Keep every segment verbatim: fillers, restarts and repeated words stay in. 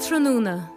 Ardtráthnóna.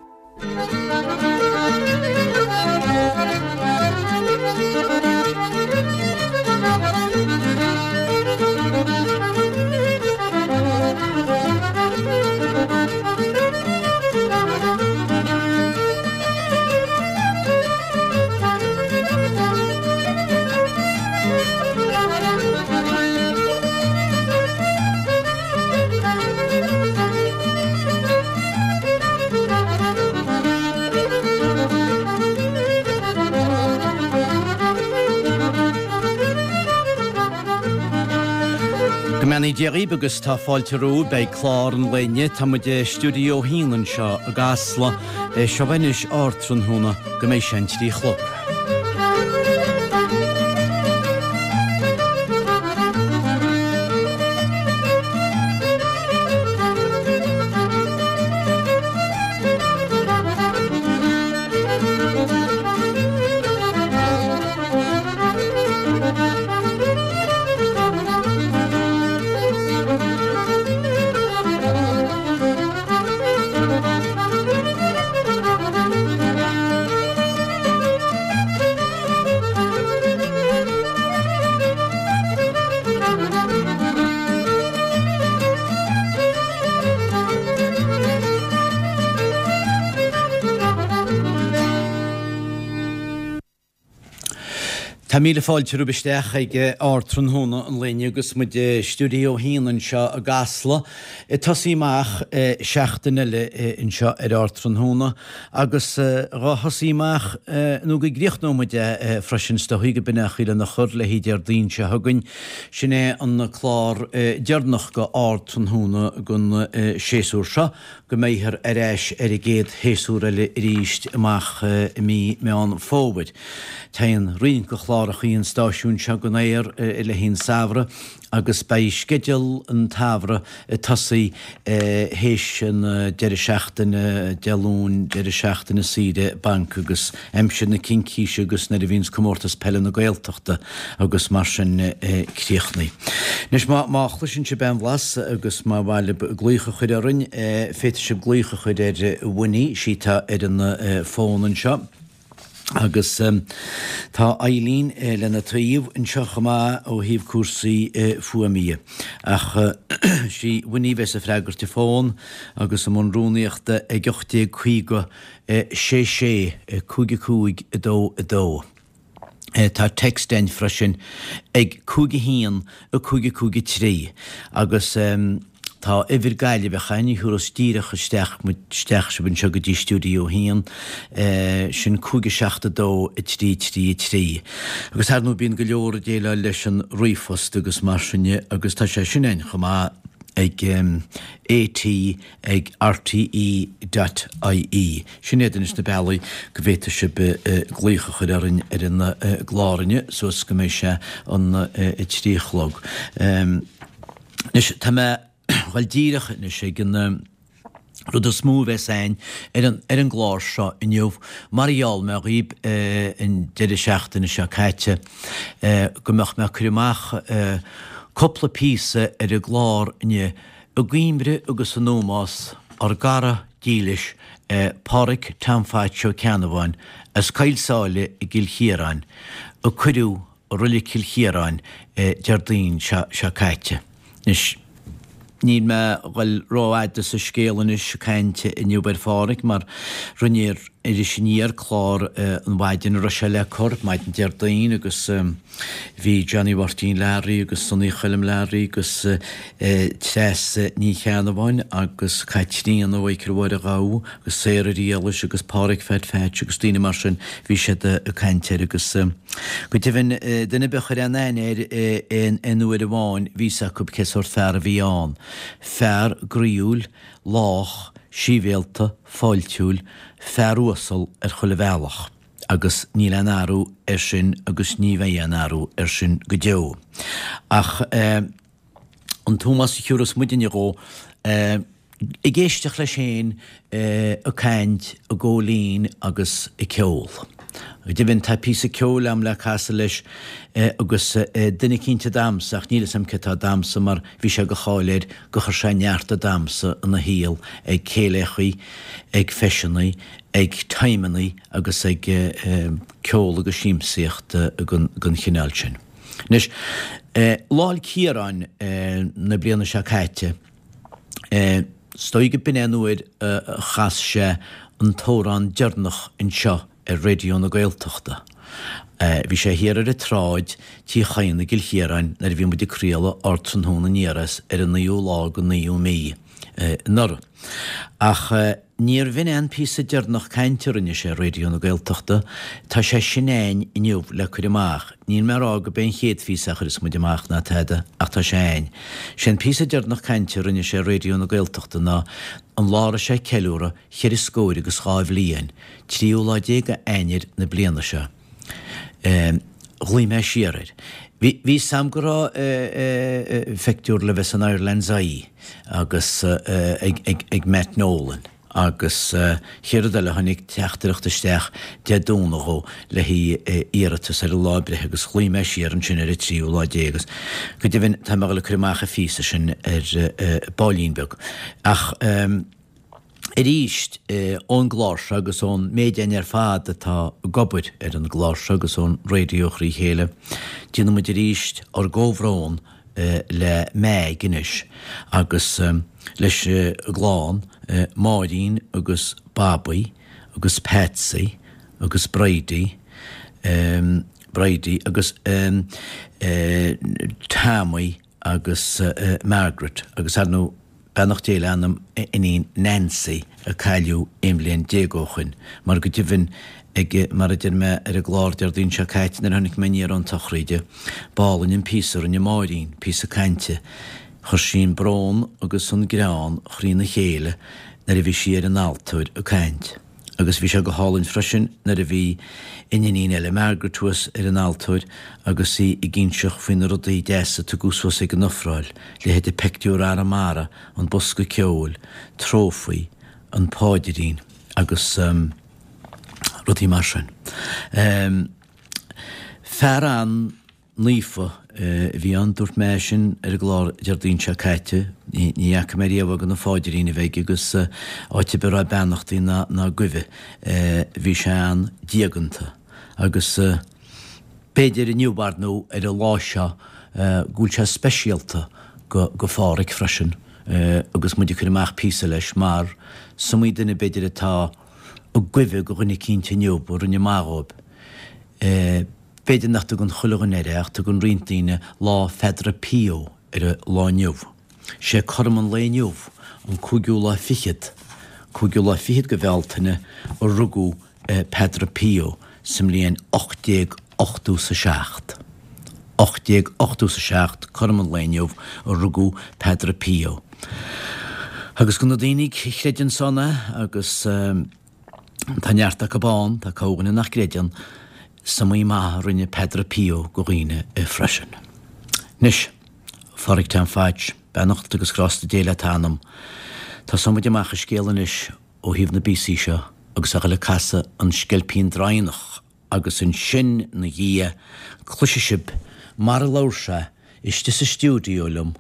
Go mbeannaí Dia dhaoibh agus tá fáilte romhaibh beidh clár an lae inniu. Tá muid i stiúideo a haon anseo i gCasla. Seo anois Ardtráthnóna go mbeidh sé an trí a chlog. Tá míle fáilte romhaibh isteach ag Ardtráthnóna an lae inniu agus muid i stiúideo a haon anseo i gCasla. Ag tosaí amach seachtain eile anseo ar Ardtráthnóna agus dhá thosaí amach nó go gcríochnóidh muid é freisin is dóichí go b'in é an chaoi lena chur le haghaidh Déardaoin seo chugainn. Sin é an clár deireanach go Ardtráthnóna don séasúr seo. go mbeifear ar ais ar an gcéad shéasúr eile arís amach i mí Meán Fómhair. Téann roinnt de chlárachaí an stáisiúin seo den aer i leith an samhradh agus beidh sceideal an tsamhraidh ag tosaí théis an deireadh seachtaine, Dé Luain, deireadh seachtaine saoire bainc agus aimsir na Cincíse agus nuair a bhíonns Comórtas Peile na Gaeltachta agus mar sin críochnaithe. Anois má chloiseann sibh aon bhlas agus má mhaith libh glaoch a chur orainn, féadfaidh sibh glaoch a chur ar Winnie, sí atá ar an bhfón anseo, agus tá Eileen lena taobh anseo chomh maith ó thaobh cúrsaí fuaime dhe. Ach sí Winnie a bheas ag freagairt an fón agus i mbun rúnaíochta ag ocht déag caoga sé sé cúig a cúig a dó a dó. Tá text ann freisin ag cúig a haon a cúig a cúig a trí agus tá uimhir Gaillimheach ann a thiúrfas díreach isteach isteach sibh anseo go dtí Stiúideo a haon, sin cúig a seacht a dó a trí trí a trí. Agus ar ndóigh bíonn go leor ag déileáil leis an ríomhphost agus mar sin de agus tá sé sin ann chomh maith ag AT ag rte dot ie. Sin iad anois na bealaí go bhféadfaidh sibh glaoch a chur orainn ar an gclár inniu suas go mbeidh sé an a trí a chlog. Anois tá mé a dhul díreach anois ag an rud is mó a bheas a'inn ar an ar an gclár seo inniu mar a gheall mé dhaoib an deireadh seachtaine seo caite go mbeadh mé ag cur amach cúpla píosa ar an gclár inniu i gcuimhre agus in ómós ár gcara dílis Pádhraic Tom Phatch Ó Ceannabháin as Coill Sáile i gCill Chiaráin a cuireadh i Reilig Chill Chiaráin Déardaoin seo caite. Anois, níl mé a dhul rófhada sa scéal anois ag caint inniu ar Phádhraic mar rinne Iris Aniar clár an mhaidin a raibh sé le cur, maidin Déardaoin, agus bhí Johnny Mháirtín Learaí agus Sonaí Choilm Learaí agus Treasa Ní Cheannabháin agus Caitríona Mhichael Mháire Ghabha agus Sarah Riallais agus Pádhraic Phat Phatch agus daoine mar sin, bhí siad ag caint air agus go deimhin duine ar bith a chuir aon aithne air aon uair amháin bhí 'fhios acu cé sórt fear a bhí ann. Fear groíúil, lách, síbhéalta, fáiltiúil, fear uasal ar chuile bhealach agus níl aon athrú air sin agus ní bheidh aon athrú air sin go deo. Ach an t-ómós a thiúrfas muidinne dhó, Ag éisteacht leis féin ag caint, ag ól fhíon agus ag ceol. Go deimhin, tá píosa ceoil a'm le casadh leis agus duine eicínt a'damsa, ach níl 'fhios a'm cé atá ag damsa mar bhí sé de cháil air gur chuir sé neart ag damsa ina shaol ag céilíochaí, ag feiseannaí, ag timeannaí agus ag ceol agus siamsaíocht den chineál sin. Anois, Lá 'le Ciaráin na bliana seo caite, Is dóigh go b'in é an uair a chas sé an t-amhrán deireanach anseo ar Raidió na Gaeltachta. Bhí sé thiar ar an tsráid, Tí Chadhain i gCill Chiaráin nuair a bhí muid ag craoladh Ardtráthnóna aniar as ar an naoú lá den naoú mí anuraidh. Ach níorbh in é an píosa deireanach cainte a rinne sé ar Raidió na Gaeltachta. Tá sé sin a'ainn inniu le cur amach. Níl mé a rá go b'é an chéad phíosa a chuirfeas muid amach ná tada, ach tá sé a'ainn. Sé an píosa deireanach cainte a rinne sé ar Raidió na Gaeltachta ná an lá a raibh sé ag ceiliúradh cheithre scóir agus dhá bhliain, tríú lá déag d'Eanáir na bliana seo. Ghlaoigh mé siar air. Bhí 'fhios a'm go raibh phictiúr le bheith san Ireland's Eye agus ag Matt Nolan agus chéad rud eile tháinig teachtaireacht isteach Dé Domhnaigh dhó le haghaidh iarratas ar a lá breithe agus ghlaoigh mé siar ansin ar an tríú lá déag agus go deimhin tá mé ag dul ag cur amach an phíosa sin ar baillín beag. Ach. Arís, ón gclár seo agus ón méid againn ar fad atá ag obair ar an gclár seo agus ón raidió thrí chéile, déanann muid arís ár gcomhbhrón le Meaig anois agus leis an gclann, Máirín agus Bobby agus Patsy agus Bridie, Bridie agus Tommy agus Margaret agus ar ndóigh beannacht Dé le anam a iníon Nancy a cailleadh aon bhliain déag ó shoin, mar go deimhin ag, mar a deir mé ar an gclár Déardaoin seo caite nuair a tháinig mé aniar ón tsochraid, b'álainn an píosa a rinne Máirín, píosa cainte. Chuir sí an brón agus an greann thrína chéile nuair a bhí sí ar an altóir ag caint. Agus bhí sé go hálainn freisin nuair a bhí an iníon eile, Margaret, thuas ar an altóir agus í ag inseacht faoi na rudaí deasa a tugadh suas ag an ofráil, leithéide peictiúr Arramara, an bosca ceoil, trófaí, an páidrín agus rudaí mar sin. Fear an. naofa a bhí ann. Dúirt mé é sin ar an gclár Déardaoin seo caite. Ní fhaca mé riamh gan an pháidrín a bheith aige agus áit ar bith a raibh beannachtaí ná ná guibhe bhí sé an-diaganta. Agus b'fhéidir inniu ar ndóigh ar an lá seo go bhfuil sé speisialta go go Phádhraic freisin agus muid ag cur amach píosa leis mar is iomaí duine b'fhéidir atá ag guibhe go dhuine eicínt inniu a rinne maith dhóibh. B'fhéidir nach dtugann chuile dhuine air é ach tugann roinnt daoine Lá Pheadra Pio ar an lá inniu. Sé cothrom an lae inniu, an cúigiú lá fichead, cúigiú lá fichead de Bhealtaine, a rugadh Peadra Pio sa mbliain ocht déag ochtó 's a seacht. Ocht déag ochtó 's a seacht, cothrom an lae inniu, a rugadh Peadra Pio. Agus do na daoine a chreideann san é agus. Tá neart acu ann, tá corrdhuine nach gcreideann, is iomaí maith a rinne Peadra Pio go dhaoine freisin. Anois, a Phádraic Tom Phatch, beannacht agus grásta Dé le t'anam. Tosóidh muid amach an scéal anois ó thaobh na bpíosaí seo agus a dhul ag casadh an Sceilpín Draighneach agus ansin 'na dhiaidh cloisfidh sibh mar a labhair sé istigh sa stiúideo liom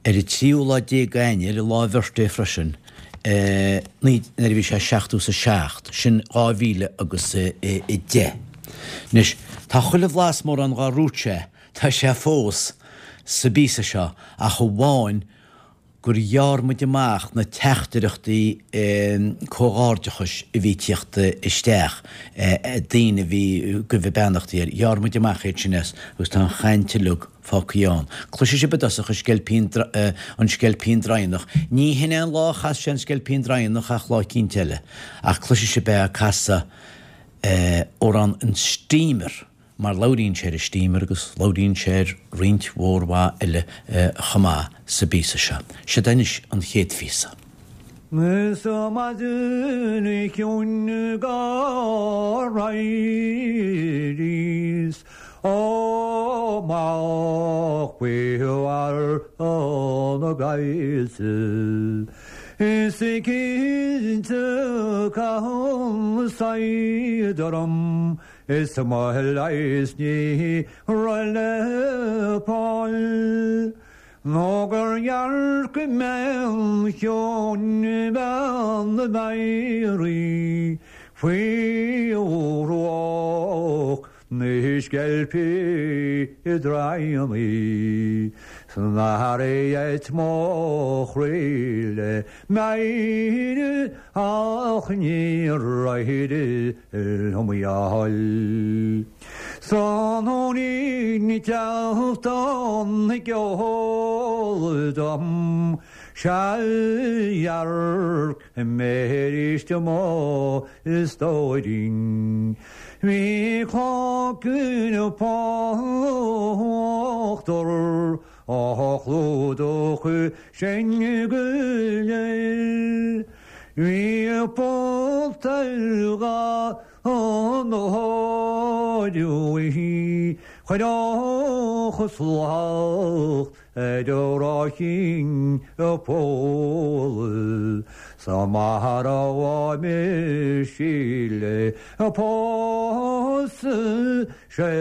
ar an tríú lá déag d'Eanáir, lá a bhirthday freisin, nuair a bhí sé seachtó 's a seacht, sin dhá mhíle agus a deich. Anois, tá chuile bhlas mórán dhár dhúirt sé, tá sé fós sa bpíosa seo ach amháin gur ghearr muid amach na teachtaireachtaí comhghairdeachais a bhí ag tíocht isteach, daoine a bhí ag guibhe beannachtaí air, ghearr muid amach iad sin as agus tá an chaint uilig fágtha ann. Cloisfidh sibh i dtosach an Sceilpín, an Sceilpín Draighneach. Ní hin é an lá a chas sé an Sceilpín Draighneach ach lá eicínt eile. Ach cloisfidh sibh é ag casadh amhrán an Steamer. mar labhraíonn sé ar an Steamer agus labhraíonn sé ar roinnt mhór mhaith eile chomh maith sa bpíosa seo. Seod é anois an chéad phíosa. Is a maidin chiúin dhár éiríos Amach faoi bharr na gcaillte Is cinnte caitheann said orm Is mo leigheas ní raibh le fáil Nó gur dhearc mé cheoin bean na Mary Faoi ruach na sceilpí i dtraíonnaí San athraigh mo chroí le Máire ach níor éirigh liom í a fháil. Tráthnóinín teacht an ceol dom Sea dhearc mé arís mo stóirín. Bhí cloigeann fá uachtar á chlúdach sin go léir. Bhí póta dhá nóidiúí chuid chuslach ar rácín a póla sa mar a mé síle a pós sé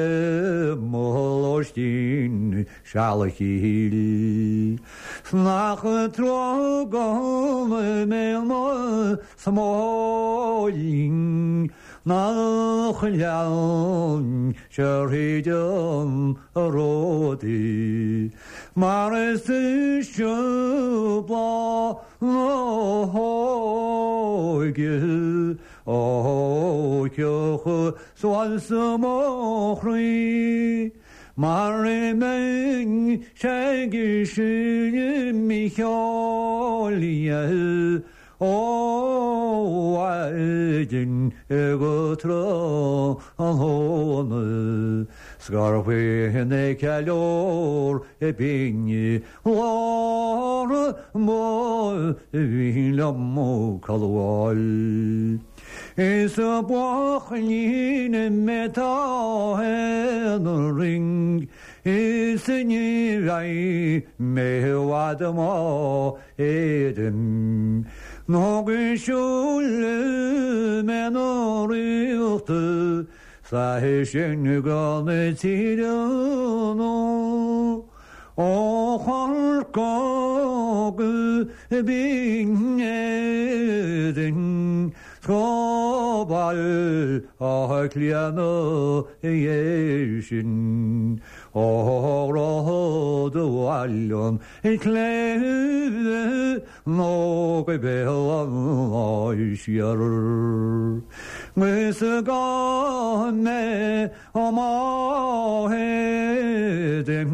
mólóistín sealachíl. Snach tro mé mo smóilín nach lean se ríidean a ródaí. Mar is se blá hóige ó ceocha soal sa móchraí. Mar i meng se sin mícheália ó aidin go tro an hóna Scarfaoine ceiliúr i binne lár mo bhí le calháil. Is a buachaillín mé tá an ring Is ní bheidh mé bhfad má éidim. Nó go siúil mé ná ríochta sa sin gan na tíre nó. Ó chorcóg bín éidim Scóbal a cliana sin ó rá do bhailean clé nó go béal an siar. Gus gá mé má héidim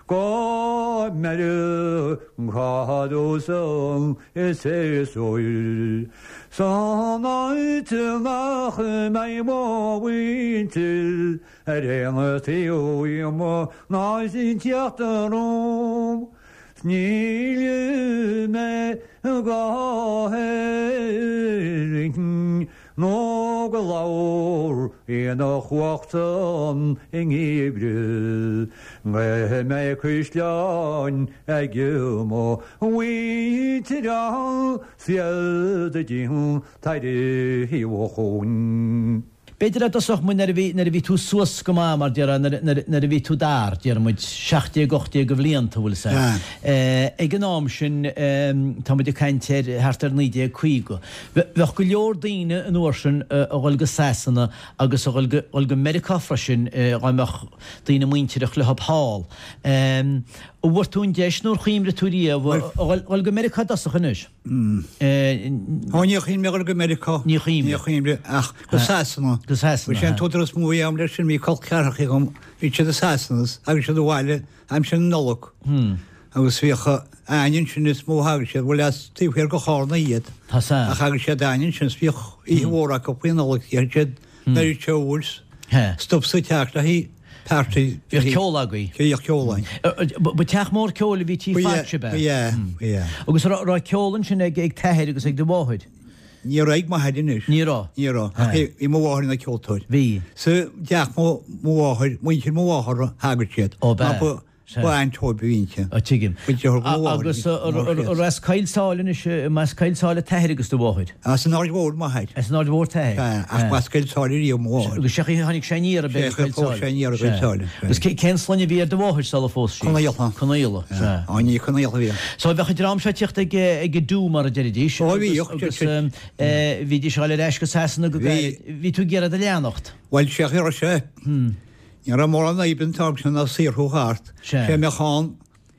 go meidir cadósan is é sóil. San áit nach mé mhhaintil ar aon taobh ná sin teachtaróm. Níl mé go héirín nó go leabhar ina chumhachtan i ngeimhreadh. Mé mé cuisleáin ag mo mhuintir siad a dtín taide chún. B'fhéidir a dtosódh muid nuair a bhí nuair a bhí tú suas go maith mar déarfá nuair a bhí tú d'fhear, déarfaidh muid seacht déag ocht déag de bhlianta bhfuil sé. Ag an am sin tá muid ag caint ar thart ar naoi déag caoga. Bheadh go leor daoine an uair sin a dhul go Sasana agus a dhul go dhul go Meiriceá freisin dá mbeadh daoine muintireach leo thall. An bhfuair tú an deis nó ar chuimhnigh tú riamh a dhul go Meiriceá i dtosach anois? Ó ní chuimhnigh mé a dhul go Meiriceá. Ní chuimhnigh. Ní chuimhnigh ach go Sasana. Go Sasana. Bhí sé an t-údar is mó a bhí agam leis sin, bhí col ceathracha agam, bhí siad i Sasana agus siad abhaile aimsir na Nollag. Agus bhíodh aithne ansin is mó a thagadh siad, bhuel as taobh thiar go Chárna iad. Tá san. Ach thagadh siad aithne ansin is bhíodh oíche mhór acu faoi Nollaig, dhéanadh siad an oiread ceoil, stop sa teach le haghaidh party. Bhíodh ceol agaibh? Bhíodh ceol againn. Ba teach mór ceoil a bhí tí Phatch ab ea? Ba ea, ba ea. Agus raibh ceol ansin ag t'athair agus ag do mháthair? Ní raibh ag m'athair anois. Ní raibh? Ní raibh. Ach bhí mo mháthair ina ceoltóir. Bhí. Sa dteach mo mháthair, muintir mo mháthara, thagadh siad. Ó, b'ea. Ba ainteoir a bhí inti. Ó, tuigim. Muintir mo mháthar. Agus an as Coill Sáile anois, as Coill Sáile t'athair agus do mháthair? As an Aird Mhór m'athair. As an Aird Mhór t'athair? Sea, ach b'as Coill Sáile riamh mo mháthair. Agus sé chaoi tháinig sé aniar ab ea go Coill Sáile? Sé aniar go Coill Sáile. Agus cén sloinne a bhí ar do mháthair sula phós sí? Conaola. Conaola, sea. Á, ní Conaola a bhí. So bheadh an dream seo ag tíocht ag ag dú mar a deiridís. Ó, bhíodh. Agus bhídís ag dul ar ais go Sasana go gairid. Bhí tú ag iarraidh a leanacht? Bhuel, sé chaoi a raibh sé. Ní raibh mórán oibre an t-am sin ná saothrú thart. Sé mbeadh ann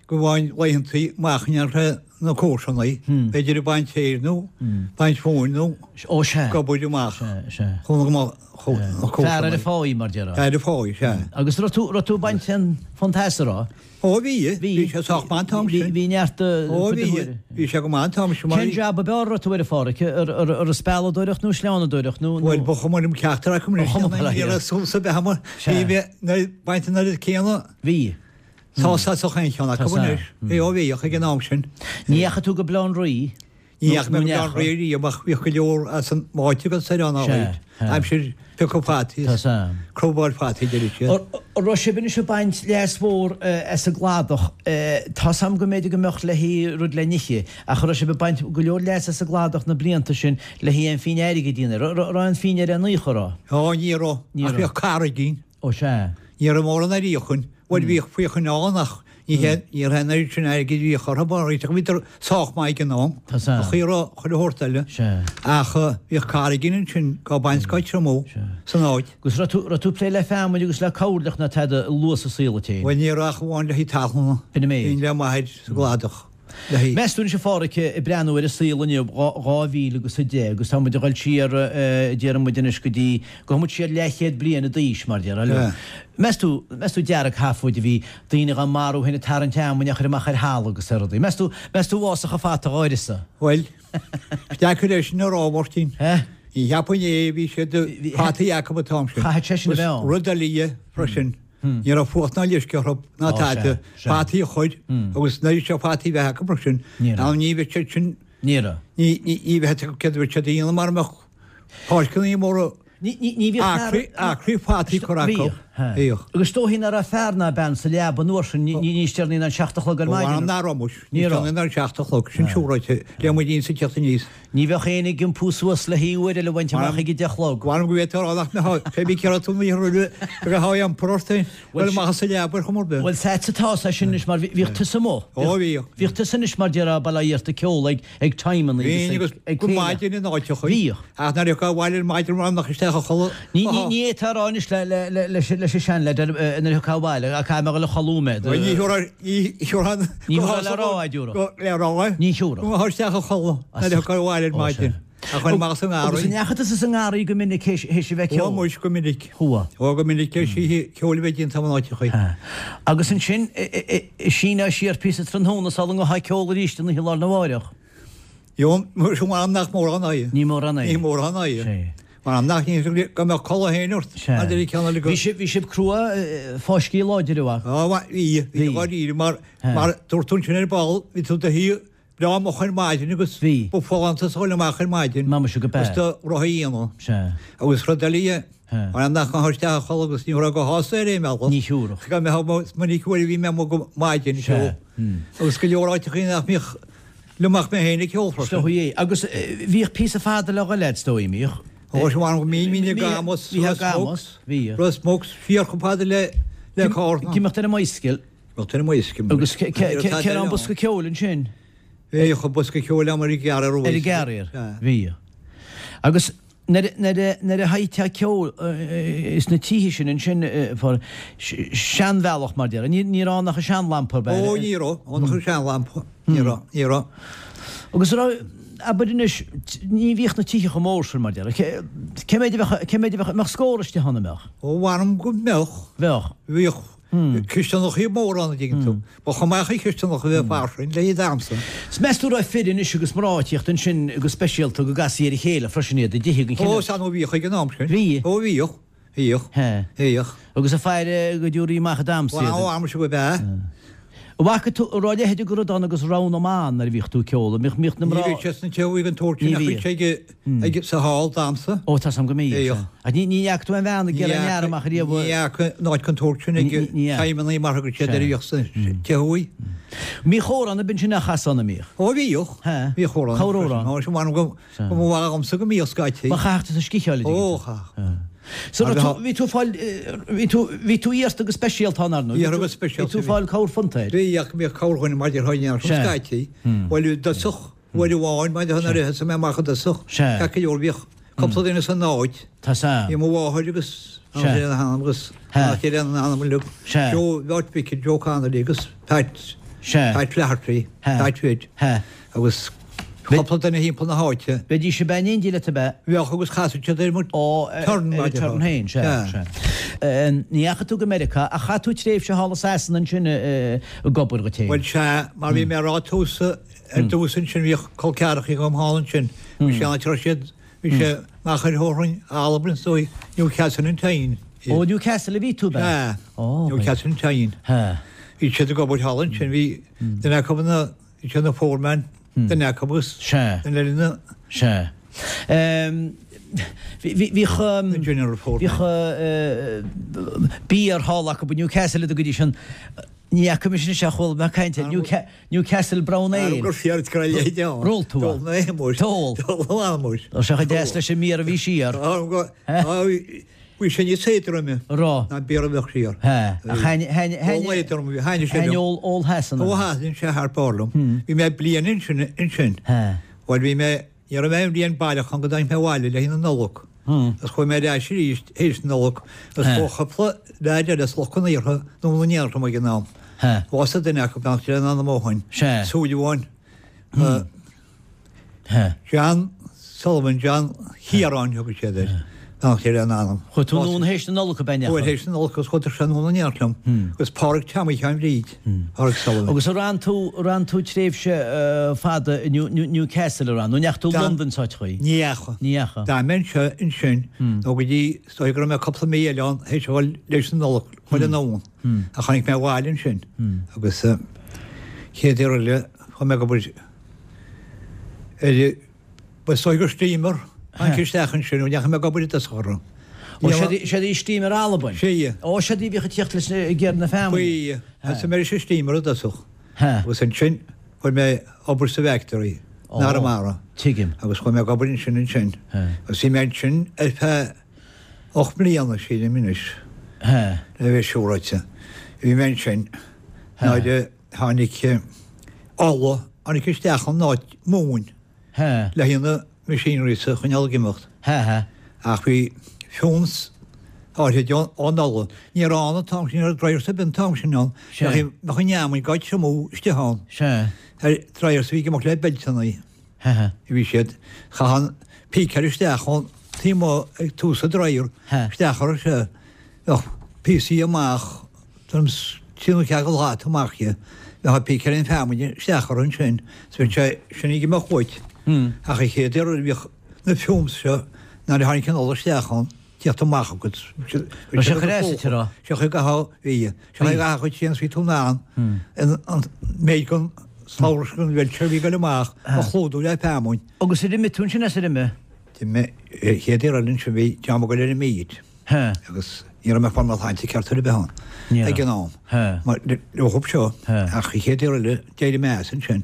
go bhfaighinn laethantaí amach in iarthar na comharsanaí, b'fhéidir ag baint féir nó baint mhóin nó Ó sea. ag obair amach Sea, sea. chun go mbeadh na Fear ar comharsanaí. a pháí, mar déarfá. Fear ar a pháí, sea. Agus raibh tú, raibh tú ag baint an phuntaise, an raibh? Ó bhí, bhí sé sách maith an t-am sin. Bhí neart Ó bhí, bhí sé go maith an t-am sin. Cén jab ab fhearr a raibh tú air a Pháraic? Ar an spealadóireacht nó sleánadóireacht nó? Bhuel, ba chuma liom ceachtar acu anois. Ní raibh suas a bheith amuigh. Bhí mé ag baint an oiread céanna. Bhí. Sásta as aon cheann acu anois. Bhí, ó bhíodh ag an am sin. Ní dheachaigh tú go Baile Átha an Rí? Ní dheachaigh mé go Baile Átha an Rí riamh ach bhíodh go leor as an áit agus ar an áit. Aimsir piocadh fataí is crobáil fataí deireadh siad. An raibh sibh anois ag baint leas mhór as an gcladach? Tá's a'm go mb'fhéidir go mbeadh le haghaidh rud le n-ithe, ach an raibh sibh ag baint go leor leas as an gcladach na blianta sin le haghaidh aon phingin airgid a dhéanamh? An raibh aon phingin ar aon chor, an raibh? Ó, ní raibh. Ach bhíodh cara againn. Ó sea. Ní raibh mórán ar fhiachain. Bhuel bhíodh fiachain ann ach ní hé, ní raibh an oiread sin airgid a bhíodh orthu mar bhíodar sách maith ag an am. Tá san. Ach ní raibh chuile shórt eile. Sea. Ach bhíodh cara againn ansin dhá baint dhá triomú san áit. Agus raibh tú, raibh tú ag plé le feamainn agus le coirleach ná tada luath sa saol duit féin? Bhuel ní raibh ach amháin le haghaidh talún. B'in an méid. Bhínn le m'athair sa gcladach. Le haghaidh. Meas tú anois a Pháraic ag breathnú ar an saol inniu, dhá mhíle agus a deich, agus tá muid ag dul siar, déarfaidh muid anois go dtí, gabhfaidh muid siar leathchéad bliain i d'aois, mar déarfá. Meas tú, meas tú dearg-sheafóid a bhí daoine dhá marú féin ag tarraingt fheamainne á chur amach ar thalamh agus ar rudaí. Meas tú, meas tú bhfásfadh an fata dhá uireasa? Bhuel, is deacair é sin a rá, a Mháirtín. Ní cheapfainn é, bhí siad, fataí acu an t-am sin. Chaithfeadh sé sin a bheith ann. Rud eile dhe freisin. Ní raibh fuacht ná leisce orthu ná tada, fataí a chur agus nuair a bhí fataí bheith acu mar sin, ná ní bheadh siad sin, Ní raibh. ní bheadh céard a bheadh siad a dhéanamh mara mbeadh páirceanna móra Ní bhíodh acraí acraí fataí curtha acu. Bhíodh. Agus is dóichí nach raibh fear ná bean sa leaba an uair sin, níos deireanaí ná an seacht a chlog ar maidin. Ó, nach raibh muis. Ní raibh. Níos deireanaí ná an seacht a chlog, sin siúráilte, le muid insa teacht aníos. Ní bheadh éinne ag iompú suas le haghaidh uair eile a bhaint amach ag a deich a chlog. Mh'anam go bhféadfá a rá nach mbeadh, pé bí céard tú ní raibh go raibh iompar ort féin, bhuel amach as an leaba ar chuma ar bith. Bhuel is ait atá sé sin anois mar bhíodh tusa amuigh. Ó bhíodh. Bhíodh tusa anois mar déarfá bail ó Dhia ort ag ceol ag ag timeanna agus ag go maidin in áiteacha. Bhíodh. Ach nuair a thiocfá abhaile ar maidin mar nach isteach a chodladh. Ní ní ní fhéadfá a rá anois le le le leis leis an seanleaid nuair a thiocfá abhaile ach caithfidh mé a dhul a chodladh mé. Bhuel ní thiúrfá ní thiúrfá Ní thiúrfá le rá a dtiúrfadh. Le rá. Ní thiúrfadh. Go mbeifeá isteach a chodladh nuair a thiocfá abhaile ar maidin. Ach chuir amach sa ngarraí. Agus an ndeachaigh tusa sa ngarraí go minic théis a bheith ag ceol? Ó muis go minic. Chuaigh. Ó go minic théis oíche cheoil a bheith déanta in áiteachaí. Agus ansin síneadh siar píosa tráthnóna sula ngabhfá ag ceol arís an oíche lá arna mháireach. Jó, m'anam nach mórán é. Ní mórán é. Ní mórán é. Sé. M'anam nach ní go mbeadh codladh féin ort. Sea. Maidir le ceann eile go. Bhí sibh, bhí sibh crua, fáiscthe láidir a mhac. Á, bhí, bhí dháiríre mar, mar dúirt tú ansin ar ball, bhí tú do shuí breá moch ar maidin agus Bhí. ba folántas a dhul amach ar maidin. M'anam go b'ea. Agus do rotha a dhéanamh. Sea. Agus rud eile dhe, Sea. m'anam nach ngabhfá isteach a chodladh agus ní raibh go shásta ar aon bhealach. Ní thiúrfadh. Go mbeadh minic uair a bhí mé amuigh go maidin Sea. ceol. Agus go leor áiteachaí nach mbíodh liom ach mé féin ag ceol freisin. Is dóigh é. Agus bhíodh píosa fada le dhul agat, is dóigh, mbíodh? Ó, is m'anam go mbínn, bhínn ag Amos, Bhí Ros ag Amos, Muc, bhíodh. Ros Muc, siar chomh fada le le Cárna. Ag imeacht ar an mbicycle. Imeacht ar an mbicycle. Agus cé raibh an bosca ceoil ansin? Bhíodh an bosca ceoil agam ar an gcarrier. Ar an gcarrier, bhíodh. Agus nuair a sheinnteá ceol sna tithe sin ansin, seanbhealach mar déarfá, ní raibh ann ach an seanlampa, ab ea? Ó, ní raibh ann ach an seanlampa, ní raibh, ní raibh. Agus an raibh, abair anois, ní bhíodh na tithe chomh mór sin mar déarfá, cé mhéad a bheadh, cé mhéad a bheadh, an mbeadh scór istigh ann, an mbeadh? Ó, mh'anam go mbeadh. Bheadh. Bhíodh cisteanachaí móra ann, an dtuigeann tú. Ba chuma ach cisteanacha a bheith fairsing le haghaidh damhsa. 'S meas tú raibh fir anois agus mná ag tíocht ansin go speisialta go gcasfaí ar a chéile freisin iad i dtithe den chineál. Ó, sea, nó bhíodh ag an am sin. Bhí. Ó, bhíodh. Bhíodh. He. Bhíodh. Agus ag faire go dtabharfaí amach ag damhsa iad. Ó, am sin go b'ea. An bhfaca tú, an raibh a leithéid de rud ann agus rogha na mban nuair a bhíodh tú ag ceol, an mbíodh, mbíodh na Ní mná. bhíodh sé sna tithe thuaidh den tsórt sin Ní ach bhí bhíodh. sé ag, ag, sa hall damhsa. Ó, tá 's a'm go mbíodh, Bhíodh. sea. Ach ní, ní fhaca tú aon bhean ag Ní iarraidh an fhear fhaca, amach ariamh. ní fhaca an áit den tsórt sin ag Ní, ní, ní fhaca. feidhmeannaigh mar a thugadh siad Sea. air a bhíodh sa tithe thuaidh. Bhíodh amhrán ab ansin a chasadh ann, an mbíodh? Ó bhíodh. He. Bhíodh amhrán. Cá raibh amhrán? Ó, sin m'anam go, Sea. go mba mhaith agamsa go mbíodh scaití. Ba chaithfeadh tú sciath a Ó, chaithfeadh. So Mar raibh tú, bheadh- bhí tú fáil, eh, bhí tú, bhí tú iarrta go speisialta ann, ar ndóigh. Iarrtha go speisialta, Bhí tú bhí. fáil cabhair fonnta air. Bhí ach bhíodh cabhair dhuine mar déarfá in Sea. scaití. Bhuel i dtosach, uair amháin mar déarfá nuair a thosaigh mé amach i dtosach. Sea. Ceart go leor bhíodh cúpla duine san áit. Tá 's a'm. Bhí mo mháthair agus Sea. an anam agus He. an chéile an anam uilig. Sea. Joe Bheart Mhic, Joe Connolly agus Pat Sea. Pat Flaherty, He. Pat Witt He. agus cúpla duine thimpeall na háite. Bheidís ag bean éindí leat ab ea? Bheadh agus chasadh siad ar mo Ó, eh, turn ar mar an déarfá. turn féin, sea, Sea. sea. Eh, Ní dheachaigh tú go Meiriceá, ach chaith tú tréimhse thall i Sasana ansin eh, ag obair dhuit féin. Bhuel sea, mar bhí mé ag rá tús ar dtús ansin bhíodh col ceathracha agam thall ansin. Bhí sé an áit a raibh siad, bhí sé amach ar Thorrainn, Albain is dóigh, Newcastle on Tyne. Ó, Newcastle a bhí tú, ab ea? Sea, Ó, Newcastle on Tyne. He. Bhí siad ag obair thall ansin, bhí duine acu ina, bhí sé ina foreman, duine acu agus Sea. duine eile ina Sea. Ehm, bhí- bhí- Bhíodh ehm, general foreman. bhíodh eh, beer hall acu i Newcastle go dtí sin. Ní fhaca mise anseo chuala mé caint ar Newca- Newcastle Brown Ale. Gur fear go leithéid ann. Ar ól tú é? D'ól mé é, muis. D'ól. D'ól mé muis. Tá sé chomh deas leis an mbier a bhí siar. Bhí sé níos éadroime Rá. ná bier a bheadh siar. He. Ach thaitn- thaitn- thaitn- Ól éadrom, bhí thaitn sé thaitn liom. ól ól Shasana. Ó thaitn sé thar barr liom. Bhí mé bliain ansin ansin. He. Bhuel bhí mé, ní raibh mé aon bhliain baileach ann go dtáinig mé abhaile le haghaidh na Nollag. Agus chuaigh mé ar ais arís théis na Nollag agus He. chuaigh cúpla leaid eile as Loch an Iartha nó na nDéalram ag an am. He. Bhásaigh duine acu beannacht Dé lena anam ó shin. Sea. Súil amháin. He. John Sullivan, John Chiaráin thugadh siad air. Beannacht Dé lena anam. Chuaigh tú anonn théis na Nollag ab ea? Chuaigh théis na Nollag agus chuaigh sé anonn in éineacht liom. Agus Pádraig Tommy Sheáin Bhríd. Pádraig Sullivan. Agus ar fhan tú ar fhan tú tréimhse eh, fada i New, New, Newcastle ar fhan, nó ndeachaigh tú Dan- London sa chaoi? Ní dheachaigh. Ní dheachaigh. D'fhan mé anseo ansin nó go dtí is dóigh go raibh mé cúpla mí eile ann théis a dhul leis an Nollag chuile anonn. Ach tháinig mé abhaile ansin. Agus eh, chéad uair eile chuaigh mé ag obair ar ba is dóigh gur steamer tháinig isteach ansin nó ndeachaigh mé ag obair i dtosach orthu. Ó siad í steamer Albain? Sea. Ó siad í bhíodh ag tíocht leis na ag na feamainne? Faoi, thosaigh mé ar an steamer i dtosach. He. Agus ansin chuaigh mé obair sa bhfactory, Ó. in Arramara. Tuigim. Agus chuaigh mé ag obair ansin ansin. He. Agus bhí mé ansin ar feadh ocht mbliana sílim anois. He. Le bheith siúráilte. Bhí mé ansin nuair a tháinig ola, tháinig isteach an áit móin He. le haghaidh na machinery sa choinneáil ag imeacht. He, he. Ach bhí fumes áirid ón ola. Ní raibh ann an t-am sin, ní raibh dryers ar bith an t-am sin ann. Sea. Bheadh an fheamainn ag triomú istigh ann. Sea. Ar dryers a bhí ag imeacht le beilteanna. He, he. Bhí siad chaith an pícear isteach ón taobh amuigh ag tús an dryer He. isteach orthu seo. Bheadh píosaí amach tuairim trí nó ceathair slat amach dhe. Bheadh an pícear an feamainn isteach orthu ansin. So bhí sé sin ag imeacht uait. Ach an chéad uair a bhíodh na fumes seo nuair a tháinig an ola isteach ann, tíocht amach agat. Raibh sé chur as, a rá? Sé chuig go bhí. Sé chuig go chuid sin bhí tú in ann an méid den slabhra den bheilt bhí go amach a chlúdú le feamainn. Agus ar imigh tú ansin as ar imigh? D'imigh chéad uair eile ansin bhí dream ag dul ar an meat. He. Agus ní raibh mé ag fáil mo shláinte ceart ar bith ann. Ní raibh. Ag an am. He. Mar le thub seo He. ach an chéad uair eile d'éirigh mé as ansin.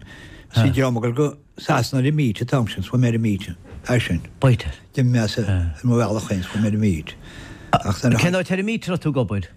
Bhí dream ag dul go Sasana ar an meat an t-am sin, chuaigh mé ar an meat. É sin. B'fhéidir. D'imigh mé as ar mo bhealach féin, chuaigh mé ar an meat. Ach nuair a Cén áit ar an meat a raibh tú ag obair?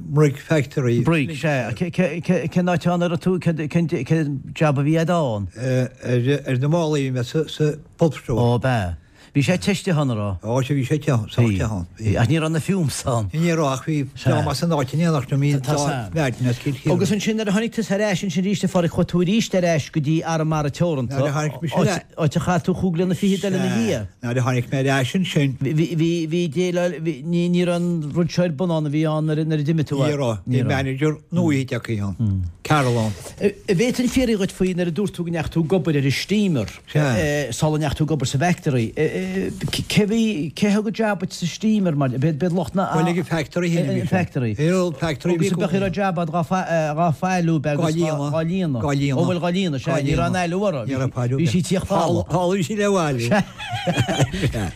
Brigg Factory. Brigg, sea. Cén áit ann a raibh tú, cén jab a bhí agat ann? Ar na málaí bhí mé sa pulp store. Ó, b'ea. Bhí sé te istigh ann, an raibh? Ó, sea, bhí sé te, sách te ann. Bhí. Ach ní raibh na fumes ann. Ní raibh, ach bhí Sea. dream as an áit in éineacht liom, bhí Tá dá sam. mheáin as Cill Chiaráin. Agus ansin nuair a tháinig tusa ar ais ansin arís a Phádraig, chuaigh tú arís ar ais go dtí Arramara Teoranta. Nuair a tháinig mise ar Áit áit a chaith tú chúig bliana fichead eile ina dhiaidh. Nuair a tháinig mé ar ais ansin. Bhí, bhí, bhí, bhí déileáil, bhí, ní, ní raibh an rud seo ar bun ann a bhí ann nuair a nuair a d'imigh tú Ní raibh, Ní bhí raibh. manager nua tagtha ann, Carol ann. An bhféadfainn fiafraí dhíot faoi nuair a dúirt tú go ndeachaigh tú ag obair ar an steamer, Sea. sula ndeachaigh tú ag obair sa bhfactory. Cé bhí cé thug jab sa steamer mar bed bed lucht na Bhuel ag an factory féin a bhí sé. Factory. Ar an factory Agus bheadh ar jab dhá dhá fáiliú beag Dhá líonadh. dhá líonadh. Dhá líonadh. Ó bhfuil dhá líonadh sé ní raibh an ailiú orthu. Ní raibh ailiú. Bhí sí tíoch fála. Thála sí le bhaile.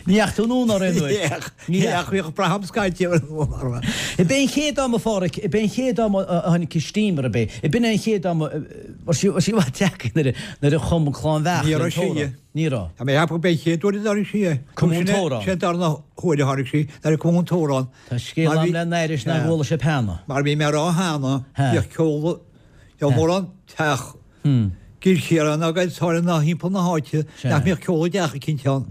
Ní ach tú núna ar aon uair. Ní ach bhíodh braham scaite ar an orthu. I b'é an chéad am a Pháraic, i b'é an chéad am a tháinig steamer a bé. I b'in an chéad am war sí war sí bhfuil teac nuair a chum clann bheach. Ní raibh sí. Ní raibh. Tá mé ceapadh b'é chéad uair a tháinig sí é. Cum an t-amhrán. Sé darna huair a tháinig sí, nuair a cum an t-amhrán. Tá scéal am le n-éiris nach bhfuil sé peanna. Mar bhí mé rá cheana, Ha. bhíodh ceol, bhíodh mórán teach, Cill Chiaráin agus thar na thimpeall na háite, Sea. nach mbíodh ceol i dteach eicínt ann.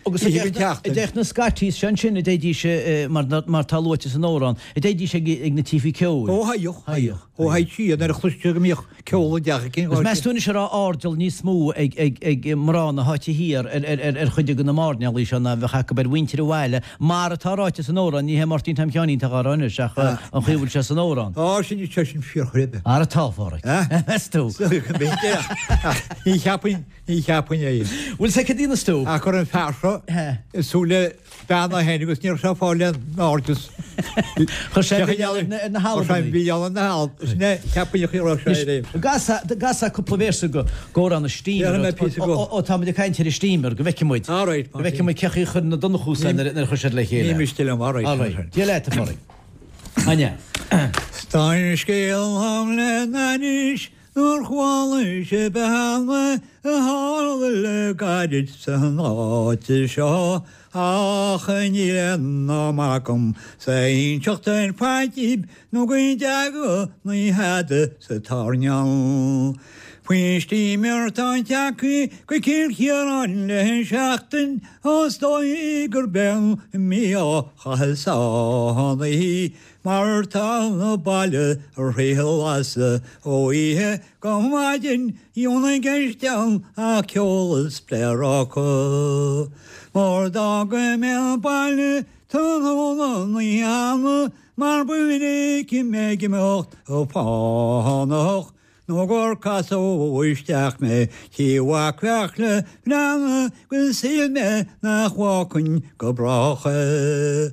Agus Ní an teachtain. deich na scaití sin sin a déidís mar mar tá luaite san amhrán, a déidís ag ag na tithe ceoil. Ó haíoch, haíoch. Ó haigh sí, nuair a chloiste go mbíodh ceol i dteach eicínt. Agus meas tú anois a raibh airdeall níos mó ag ag ag mná na háite thiar ar ar ar ar chuid de na mairnéalaigh seo ná bheadh acu ar mhuintir an bhaile, mar atá ráite san amhrán, ní hé Máirtín Tom Sheáinín atá á rá anois ach an chaoi a bhfuil sé san amhrán. Á, sin sé sin fíorchreidte. Ara tá a Pháraic. Eh? Meas tú? Ní cheapainn, ní cheapainn é. Bhfuil sé cad inas tú? Ach chuir an fear seo He. i súile bean a féin agus ní raibh sé ag fáil in airde. Chuir sé milleán ar na- ar na Chuir sé hAlbanaigh. milleán ar na hAlb. Sin é, cheapainn a raibh sé ar aon. Gasa cúpla véarsa go amhrán an steamer. Déarfaidh mé píosa go. Ó tá muid ag caint ar an steamer go bhfeicfidh muid. All right, Go bhfeicfidh muid cé chaoi a chuir na Donnchús nuair a chuir siad le chéile. Ní miste liom, all right. All right. Dia leat a Pháraic. Anja. Tá scéal am le n-ainnis nuair chuala sé beanna a tharla le gairid san áit seo ach níl aon am agam sa inseacht ar fad daoibh nó go dteaga na hada sa tairneán. Faoin steamer tá tagtha go Cill Chiaráin le seachtain os dóigh gur bean mí á chaitheamh sánaí, mar tá na baile a réalasa ó oíche go maidin dheonaigh gceist a ceol is pléaráca. Mar d'fhága mé an baile tráthnóna ní hannah, mar ba mhinic mé ag imeacht ó fánach. Nó gur casadh isteach mé tí mhac Bheartla Bhreanna go shíl mé nach bhfágfainn go brách é.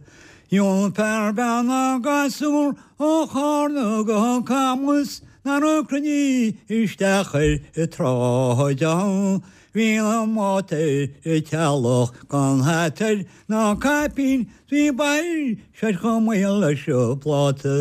Dheon fear bean ná gasúr ó Chárna go Camus ná raibh cruinní isteach ar i tráid ann. Bhí na mátair i teallach gan hatair ná caipín bhí bail sé chomh maol leis an bpláta.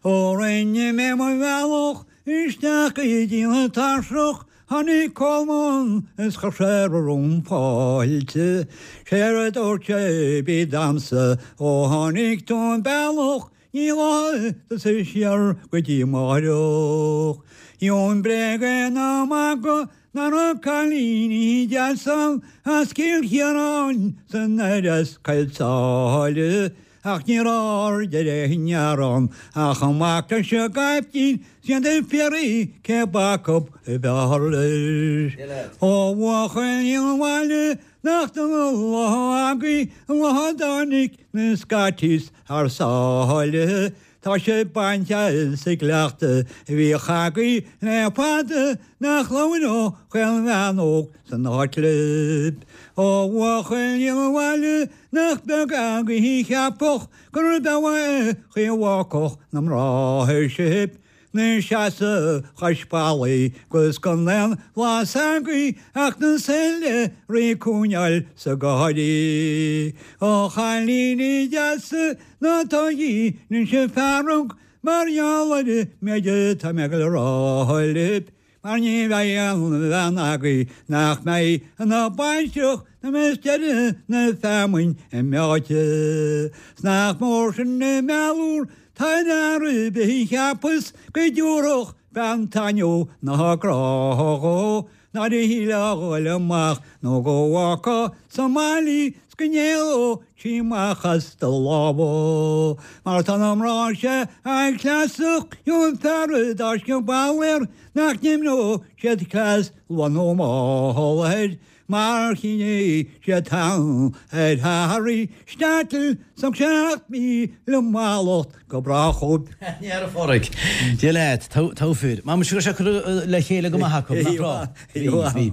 Ó rinne mé mo bhealach isteach i dtí na tairseach, tháinig Colmán is chuir sé romham fáilte. Séard a dúirt sé bí damsa ó tháinig tú an bealach, ní lá tusa siar go dtí amárach. Dheon bréige ná magadh ná raibh cailíní deasa as Cill Chiaráin san air Coill Sáile. Ach ní raibh aird ar aon ngearán ach amach leis an gcaiptín siad ag fiafraí cé acu a b'fhearr leis. Ó bhuachaillí an bhaile nach dona an lá agaibh an lá a dtáinig na Scotties thar sáile. Tá sé bainte as an gcleachtadh a bhíodh agaibh le fada nach labhródh aon bhean óg san áit libh. Ó bhuachaillí an bhaile nach beag agaibh a cheapfadh gurb amhlaidh an chaoi a bhfágfadh na mná sibh. 'Na seasamh cois ballaigh 'gus gan aon bhlas agaibh ach na súile ag coinneáil sa gáirí. Ó chailíní deasa ná tógaigí anois fearg mar gheall ar an méid atá mé ag dul a rá libh, mar ní bheidh aon bhean agaibh nach mbeidh ina baintreach nuair a bheas deireadh na feamainn imeoite. 'S nach mór sin an meabhair tá ar fhear ar bith a cheapas go dtabharfadh bean taitneamh ná grá dhó, ná a shílfeá a ghoil amach nó go bhfágfá sa mbaile í 's go n-éalódh sí amach as do lámha. Mar tá na mná seo an-chleasach an fear a d'fháisceadh bail air nach n-imreodh siad cleas luath nó mall air. Mar choinnigh siad thall ar Harry Shtetl 's seacht míle mallacht go brách dhóibh. Ní raibh, a Pháraic. Dia leat, togha fir. Má muise go raibh sé curtha le chéile go maith acu, nach raibh? Bhí, bhí.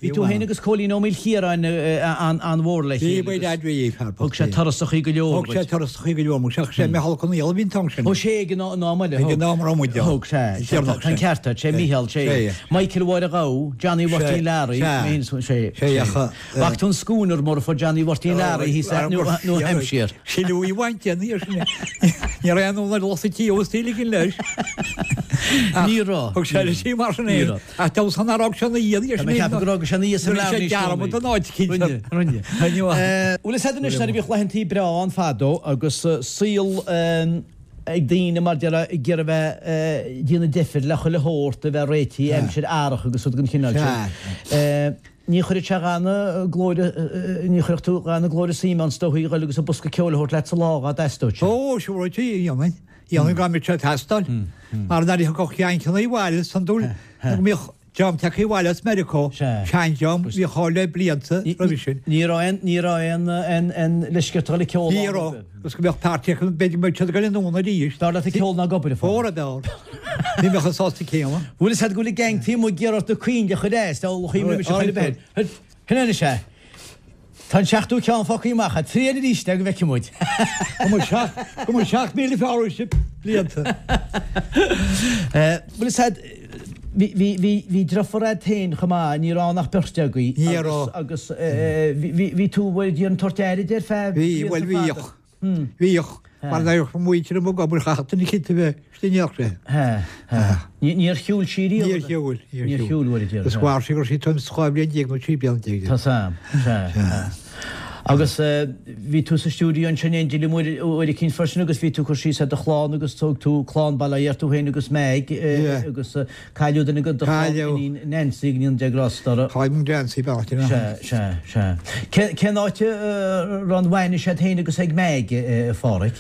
Bhí tú féin agus Cóilín Ó Maoilchiaráin an-mhór le chéile. Bhí, bhí, bhí, fear bocht. Thug sé turasachaí go leor duit. Thug sé turasachaí go leor, ach sé Micheál Ó Conghaile a bhí an t-am sin. Ó sé ag an am eile. Ag an am a raibh muid ann. Thug, sea. Tá an ceart agat, sé Micheál, sé. Michael Mháire Ghabha, Johnny Mháirtín Learaí, sé. Sé ach. Bhfaca tú an schooner mór a fuair Johnny Mháirtín Learaí thíos i New Hampshire. Sin í bhaint den ar sin. Ní raibh aon lucht sa tí os tí ligin leis. Ní raibh. Thug sé leis í mar sin é. Ach dá san ar fhág sé na dhiaidh ar sin. Tá mé ag ceapadh gur fhág sé na dhiaidh san leabhar níos dearmad an áit cinnte. Rinne, rinne. Bhuel is ea anois nuair a bhíodh laethantaí breá ann fadó agus saol ag daoine mar déarfá ag iarraidh a bheith ag déanamh deifir le chuile shórt a bheith réitithe aimsir earrach agus rud den chineál sin. Ní chuirfeadh sé dhath na glóire, ní chuirfeadh tú dhath na glóire suime ann is dóichí a dhul agus an bosca ceoil a thabhairt leat sa lá dhá dteastódh sé. Ó, siúr, dhéanfainn. Dhéanfainn dá mbeadh sé ag teastáil. Mar nuair a thiocfadh Yankeeanna abhaile is iondúil go mbíodh dream tagtha abhaile as Meiriceá, seandream, a bhíodh thall le blianta roimhe sin. Ní raibh aon, ní raibh aon, aon, aon leithscéal le ceol ann. Ní raibh. Agus go mbeadh páirtí acu, b'fhéidir go mbeadh siad ag dul anonn arís. B'fhearr leat ag ceol ná ag obair, a Pháraic. Óra, b'fhearr. Ní bheadh an sásta céanna. Bhfuil fhios a'd go bhfuil an gang taobh amuigh ag iarraidh ort na coinnle a chur as, dá chuimhne mise chuile bheith. Sin anois é. Tá an seachtú ceann fágtha amach a'd. Triail arís é go bhfeicfidh muid. Go mbeidh seacht, go mbeidh seacht míle fearr uaibhse blianta. Bhfuil fhios a'd, bhí, bhí, bhí, bhí deirfiúr a'd féin chomh maith, ní raibh ann ach beirt agaibh. Ní raibh. Agus, agus bhí, bhí, bhí tú, bhfuil, ag tabhairt aire di ar feadh Bhí, bhuel bhíodh. Bhíodh. Mar bheadh muintir amuigh ag obair chaithfeadh duine eicínt a bheith istigh in éineacht léi. Níor shiúil sí riamh? Níor shiúil. Níor shiúil, bhuel, a deir. Is mhair sí go raibh sí tuairim is dhá bhliain déag nó trí bliana déag. Tá sam. Sea. Agus bhí tú sa stiúideo ansin in éindí liom uair eicínt freisin agus bhí tú ag cur síos ar do chlann agus thóg tú clann bail ó Dhia ort tú féin agus Meg agus cailleadh duine de do chlann, iníon Nancy, go ndéana Dia grásta uirthi. Cailleadh Nancy, beannacht Dé léi. Sea, sea, sea. Cén áit a raibh an bhainis agat féin agus ag Meg, a Pháraic?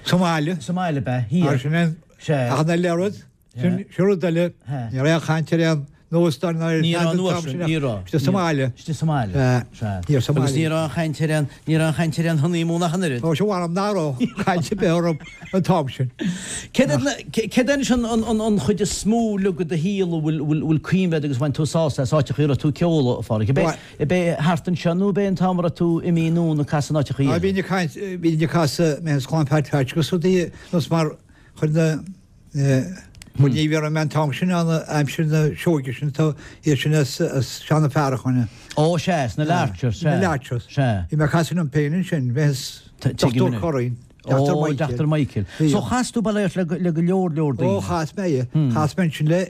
Sa mbaile. Sa mbaile, ab ea? Thiar. Sin é. Sea. Ach an eile rud, sin rud eile, ní raibh aon chaint ar aon óstán ná ar Ní raibh an uair sin, ní raibh. Istigh sa mbaile. Istigh sa mbaile. Sea. Thiar sa mbaile. Agus ní raibh aon chaint ar aon, ní raibh aon chaint ar aon honeymoon ach an oiread. Ó, sea, mh'anam nach raibh caint ar bith orthu an t-am sin. Céard é anois an chuid is mó uilig de do shaol a bhfuil, bhfuil cuimhne agat agus bhain tú sásamh as áiteachaí a raibh tú ag ceol, a Pháraic? Ab é, ab é thart anseo nó ab é an t-am a raibh tú imithe anonn ag casadh in áiteachaí eile? Bhínn ag caint, bhínn ag casadh mé is clann Phat Phatch agus rudaí nós mar chuir na, Bhuel ní bhí mé an t-am sin ann aimsir na sióige sin tá iad sin as Seán Ó Fearacháin. Ó sea, as na Larchers, sea. Na Larchers. Sea. Bhí mé ag casadh liom féin ansin, bhí as Dochtúir Curran, Dochtúir Michael. Ó, Dochtúir Michael. So chas tú bail ó Dhia ort le go leor leor daoine. Ó chas mé, chas mé ansin le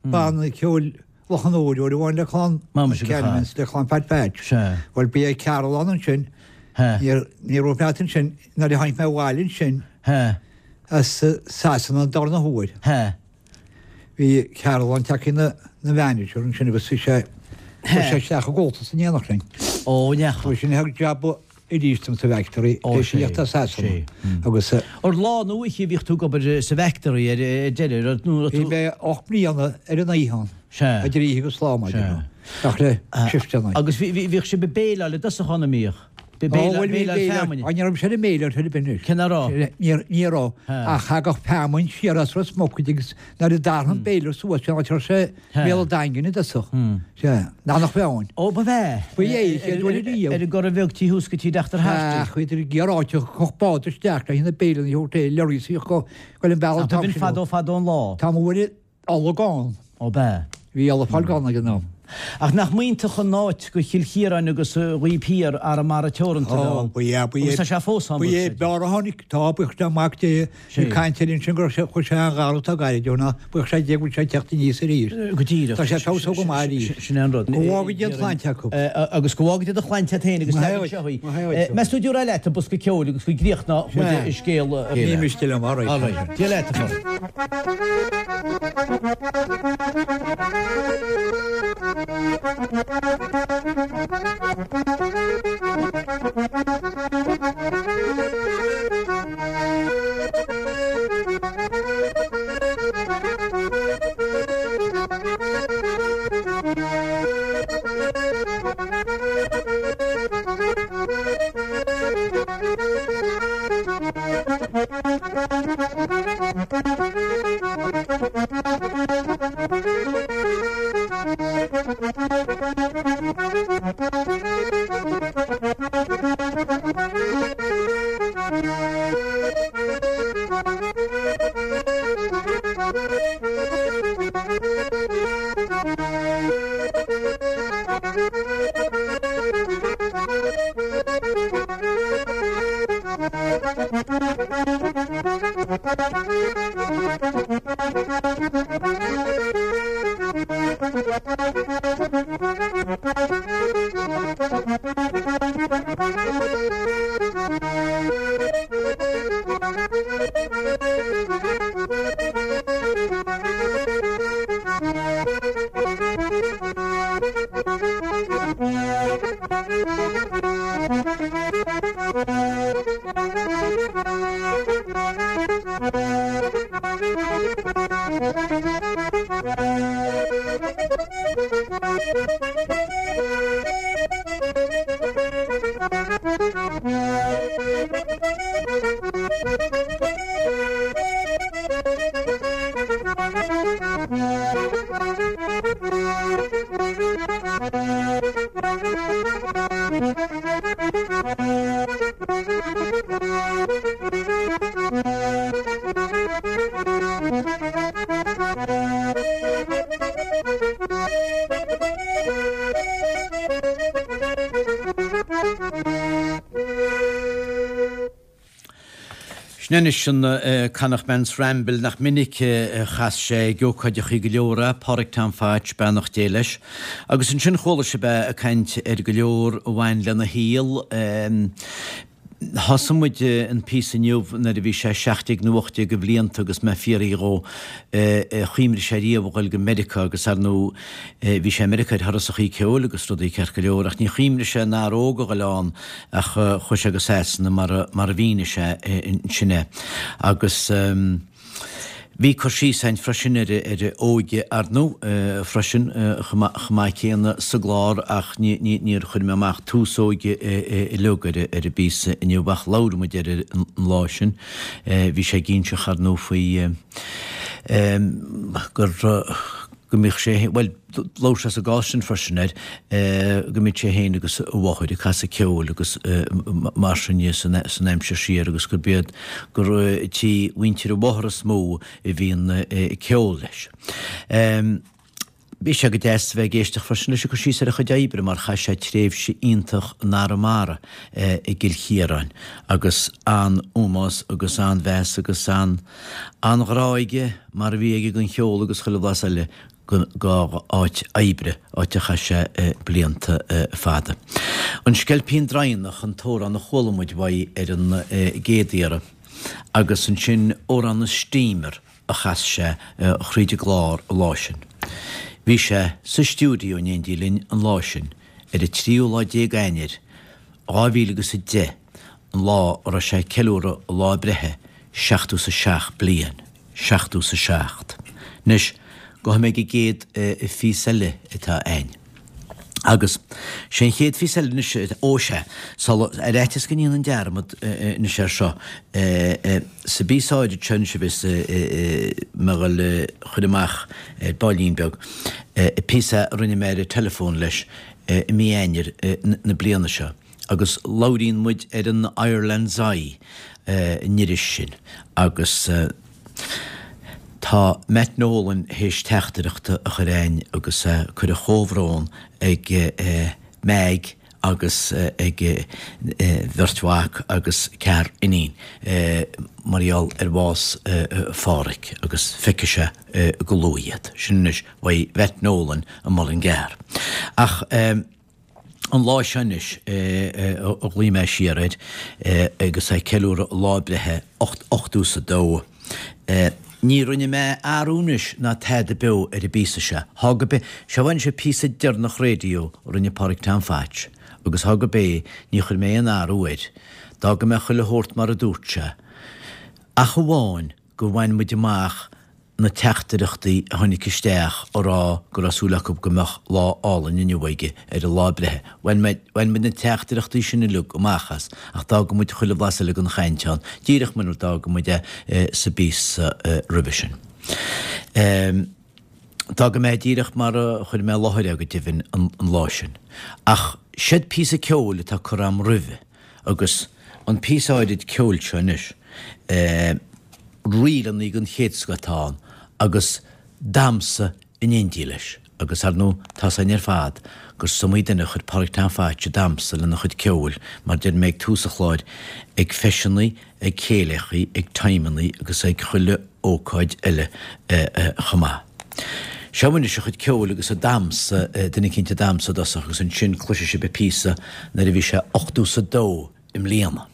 banna ceoil Loch an Iúir, uair amháin le clann Cannons, le clann Phat Phatch. Sea. Bhuel bhí Cearúll ann ansin. Ní raibh mé ansin nuair a tháinig mé abhaile ansin. As Sasana an darna huair. Bhí Cearúllán tagtha ina mhanager ansin agus bhí sé chuir sé isteach i gComhaltas in éineacht linn. Ó, ndeachaigh. Chuir sin thug jab arís dom sa bhfactory Ó, tar éis sé, a thíocht as Sasana sé. agus. Ar lá nó oíche a bhíodh tú ag obair sa bhfactory ar deireadh, ar nó raibh Bhí tú. mé ocht mbliana ar an oíche ann. Sea. Idir oíche agus lá, mar Sea. déarfá. Ach le shifteanna. Agus bhí, bhí, bhíodh sibh ag béileáil i dtosach ann, an mbíodh? Béileáil feamainne. Ní raibh sé ar an mbéileáil ar bith anois. Cé nach raibh? Ní raibh. Ach thagadh feamainn siar as Ros Muc agus nuair a d'athrigh an béilear suas bhí an áit a raibh sé Béal an Daingin i dtosach. Sea. Nach nach bheadh ann. Ó ba bhea. Ba é, chéad uair ariamh. Ar an gCora Bheag tí thuas go tí Deachtar Harte. Ach bhíodar ag iarraidh áit a chuirfeadh bád isteach le haghaidh na béileanna a thabhairt é, lorries a bhíodh ag dul an bealach an t-am sin. Fadó fadó an lá. Tá mo mhuire ola gann. Ó b'ea. Bhí ola ag fáil gann ag an am. Ach nach mb'iontach an áit go Chill Chiaráin agus Ghaoth Thiar Arramara Teoranta a bheith ann. Ó, ba ea, ba ea. Agus tá sé fós ann, Ba ea, bhuel. b'fhearr a tháinig, tá, buíochas le Mac Dé, bhí caint air ansin go raibh sé, chuir sé an-ghar atá gairid ó ná buíochas le Dia go bhfuil sé ag teacht aníos arís. Go díreach. Tá sé ag feabhsú go maith arís. Sin é an rud. Go bhfága Dia an tsláinte acu. Agus go bhfága Dia do shláinte agat féin agus leagan seo í. Meas tú dtabharfá leat an bosca ceoil agus go gcríochnódh muid an scéal. Ní miste liom, all right. All right. Dia leat, a Pháraic. Sin anois an Connachtman's Ramble nach minic a chas sé ag ócáideachaí go leor é, Pádraig Tom Phatch, beannacht Dé leis. Agus ansin chuala sibh é ag caint ar go leor a bhain lena shaol. Thosaigh muid an píosa inniu nuair a bhí sé seacht déag nó ocht déag de bhlianta agus mé ag fiafraí dhó ar chuimhnigh sé riamh a dhul go Meiriceá agus ar ndóigh bhí sé i Meiriceá ar thurasachaí ceoil agus rudaí ceart go leor ach ní chuimhnigh sé ina fhear óg a dhul ann ach chuaigh sé go Sasana mar mar a mhínigh sé ansin é. Agus bhí cur síos ann freisin ar ar a óige ar ndóigh freisin chomh maith céanna sa gclár ach níor chuir mé amach tús óige uilig ar ar an bpíosa inniu ach labhair muid air an lá sin. Bhí sé ag inseacht ar ndóigh faoi gur go mbíodh sé, bhuel, labhair sé sa gcás sin freisin air, go mbíodh sé féin agus a mháthair ag casadh ceoil agus mar sin dhe san aimsir siar agus gurb iad gur tí mhuintir a mháthar is mó a bhí an ceol leis. Bhí sé go deas a bheith ag éisteacht freisin leis ag cur síos ar a chuid oibre mar chaith sé tréimhse iontach in Arramara i gCill Chiaráin agus an-ómós agus an-mheas agus an-ghrá aige mar a bhí aige don cheol agus chuile bhlas eile dá áit oibre, áit a chaith sé blianta fada. An Sceilpín Draighneach an t-amhrán a chuala muid uaidh ar an gcéad iarraidh agus ansin Amhrán na Steamer a chas sé thríd an gclár an lá sin. Bhí sé sa stiúideo in éindí linn an lá sin, ar an tríú lá déag Eanáir, dhá mhíle agus a deich, an lá a raibh sé ag ceiliúradh a lá breithe, seachtó is a seacht bliain. Seachtó is a seacht. Anois, gabhfaidh mé ag an gcéad phíosa eile atá a'ainn. Agus sé an chéad phíosa eile anois, ó sea, sula, ar fhaitíos go ndéanfainn dearmad anois air seo, sa bpíosa áirid seo anois a bheas mé a dhul a chur amach ar baillín beag, píosa a rinne mé ar an teileafón leis i mí Eanáir na bliana seo. Agus labhraíonn muid ar an Ireland's Eye, an iris sin, agus Tá Matt Nolan théis teachtaireacht a chur a'ainn agus é ag cur a chomhbhrón ag Meaig agus ag a bheirt mhac agus ceathrar iníon mar gheall ar bhás Phádhraic agus feicfidh sé go luath iad. Sin anois uaidh Mhatt Nolan i Mullingar. Ach. An lá seo anois a ghlaoigh mé siar air agus é ag ceiliúradh a lá breithe ochtó is a dó. Ní rinne mé athrú anois ná tada beo ar an bpíosa seo. Thá go bé, seo anois an píosa deireanach raidió a rinne Pádraig Tom Phatch agus thá go bé, ní chuir mé aon athrú air. D'fhág mé chuile shórt mar a dúirt sé. Ach amháin gur bhain muid amach na teachtaireachtaí a tháinig isteach a rá go raibh súil acu go mbeadh lá álainn inniu aige ar a lá breithe. Bhain muid na teachtaireachtaí sin uilig amach as, ach d'fhága muid chuile bhlas eile den chaint ann, díreach mar a d'fhága muid é sa bpíosa roimhe sin. D'fhága mé díreach mar a chuir mé i láthair é go deimhin an lá sin. Ach seod píosa ceoil atá curtha agam roimhe agus an píosa áirid ceoil seo anois, ríleanna den chéad scoth atá ann agus damhsa in éindí leis agus ar ndóigh tá's againn ar fad gur is iomaí duine a chuir Pádraig Tom Phaits ag damhsa lena chuid ceoil mar deir mé ag tús an chláir ag feiseanna, ag céilíochaí, ag timeanna agus ag chuile ócáid eile chomh maith. Seo anois a chuid ceoil agus a damhsa, duine eicínt ag damhsa i dtosach agus ansin cloisfidh sibh an píosa nuair a bhí sé ochtó 's a dó i mbliana.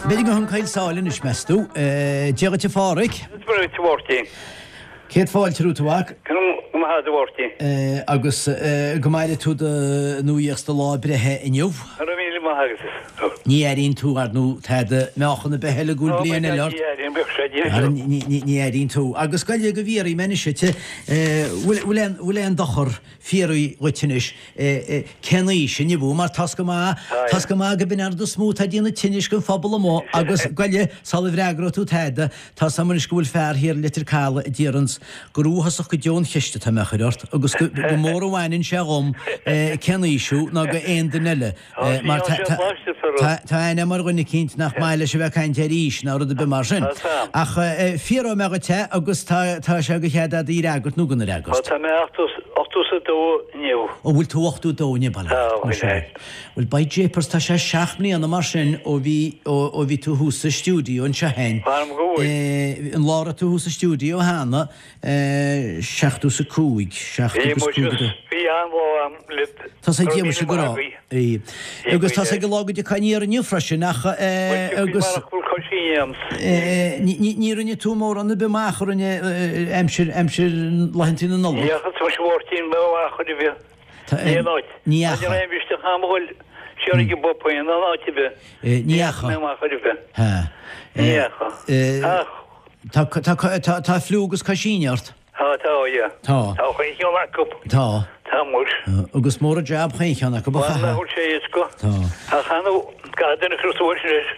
B'fhéidir go thioncail sáil anois, meas tú? Dia dhuit a Pháraic. Dia dhuit a Mháirtín. Céad fáilte romhat a mhac. Go raibh maith agat a Mháirtín. Agus go maire tú do nuaíocht do lá breithe inniu. Go raibh míle maith agat. Ní airíonn tú, ar ndóigh, tada meáchan ar bith eile go bhfuil bliain eile ort. Ní airím, bheadh sé díreach. Ní airíonn tú. Agus gabh i leith go bhfiafraí mé anois duit, bhfuil aon dochar fiafraí dhuit anois cén aois inniu thú, mar tá's go maith, tá's go maith go b'in an rud is mó atá ag déanamh tinnis don phobal amuigh agus gabh i leith sula bhfreagróidh tú tada, tá's agam anois go bhfuil fear thiar i Leitir Caladh a déarfans gur uafásach go deo an cheist atá mé a chur ort agus go mór a bhaineann sé dhom cén aois thú ná go aon duine eile mar tá tá aithne agam ar dhuine eicínt nach maith leis a bheith ag caint ar aois ná rud ar bith mar sin. Ach fiafróidh mé dhuit é agus tá tá sé de chead agat í a fhreagairt nó gan a fhreagairt. Tá mé ochtó 's a dó inniu. Ó bhfuil tú ochtó dó inniu, bail ó Dhia ort. Bhuel, by japers, tá sé seacht mbliana mar sin ó bhí, ó bhí tú thuas sa stiúideo anseo féin. M'anam go bhfuil. An lá a raibh tú thuas sa stiúideo cheana, seachtó 's a cúig, seachtó Bhí agus muid, cúig a dó. bhí an-lá a'm libh. Tá sé Go raibh ag míle go maith raibh. agaibh. Agus tá sé ag an lá go dtiocfá aniar inniu freisin ach, Bhuel, tiocfaidh agus. marach go bhfuil coisíní a'm. Ní rinne tú mórán ar bith amach a rinne aimsir, aimsir laethanta na Nollag. Ní fhaca tú Máirtín mé amach ar bith. Ní aon áit. Ní fhaca. Ní raibh isteach a'm a dhul siar ag an bpub aon áit ar bith. Ní fhaca. Ní amach ar bith. Ha. Ní fhaca. Ach. Tá, tá, tá, tá fliú agus coisíní ort. Tá, tá, yeah. Tá. Tá chaon cheann acu. Tá. Tá muis. Agus mór an jab chaon cheann acu a Bhuel, chaithfidh. nach bhfuil sé éasca. Tá. Ach chan gach duine cur suas leis.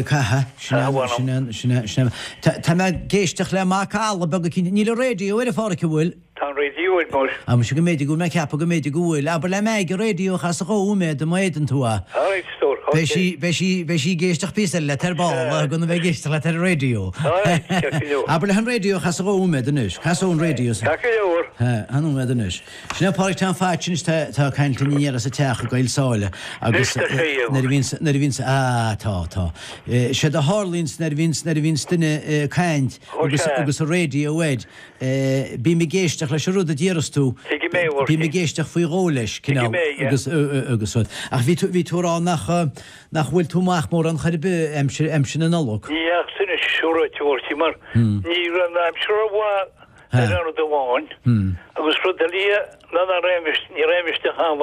Caithfidh. Sin é, sin é, sin é, sin é. Tá, tá mé ag éisteacht le macalla beag eicínt. Níl an raidió ar a Pháraic, an bhfuil? Tá an raidió ar muis. Ah, muise go mb'fhéidir go bhfuil mé ag ceapadh go mb'fhéidir go bhfuil. Abair le Meaig an raidió a chasadh dhá nóiméad má fhéadann tú é. All right, stór. Beidh sí, beidh sí, beidh sí ag éisteacht píosa eile leat ar ball, gan a bheith ag éisteacht leat ar an raidió. All right, ceart go leor. Abair léi an raidió a chasadh dhá nóiméad anois. Cas an raidió. Ceart go leor. Tá nóiméad anois. Sin é Pádraig Tom Phaits anois tá tá caint linn aniar as a teach i gCoill Sáile agus nuair a bhíonns nuair a bhíonns ah tá tá. Séard a tharlaíonns nuair a bhíonns nuair a bhíonns duine ag caint agus agus an raidió air bím ag éisteacht leis an rud a déarfas tú bím ag éisteacht faoi dhó leis cineál agus agus rud. Ach bhí tú bhí tú ag rá nach nach bhfuil tú amach mórán chor ar bith aimsir aimsir na Nollag. Ní ach sin is siúráilte Mháirtín mar ní raibh an aimsir rómhaith ar an rud amháin agus rud eile ná ná raibh ní raibh isteach ann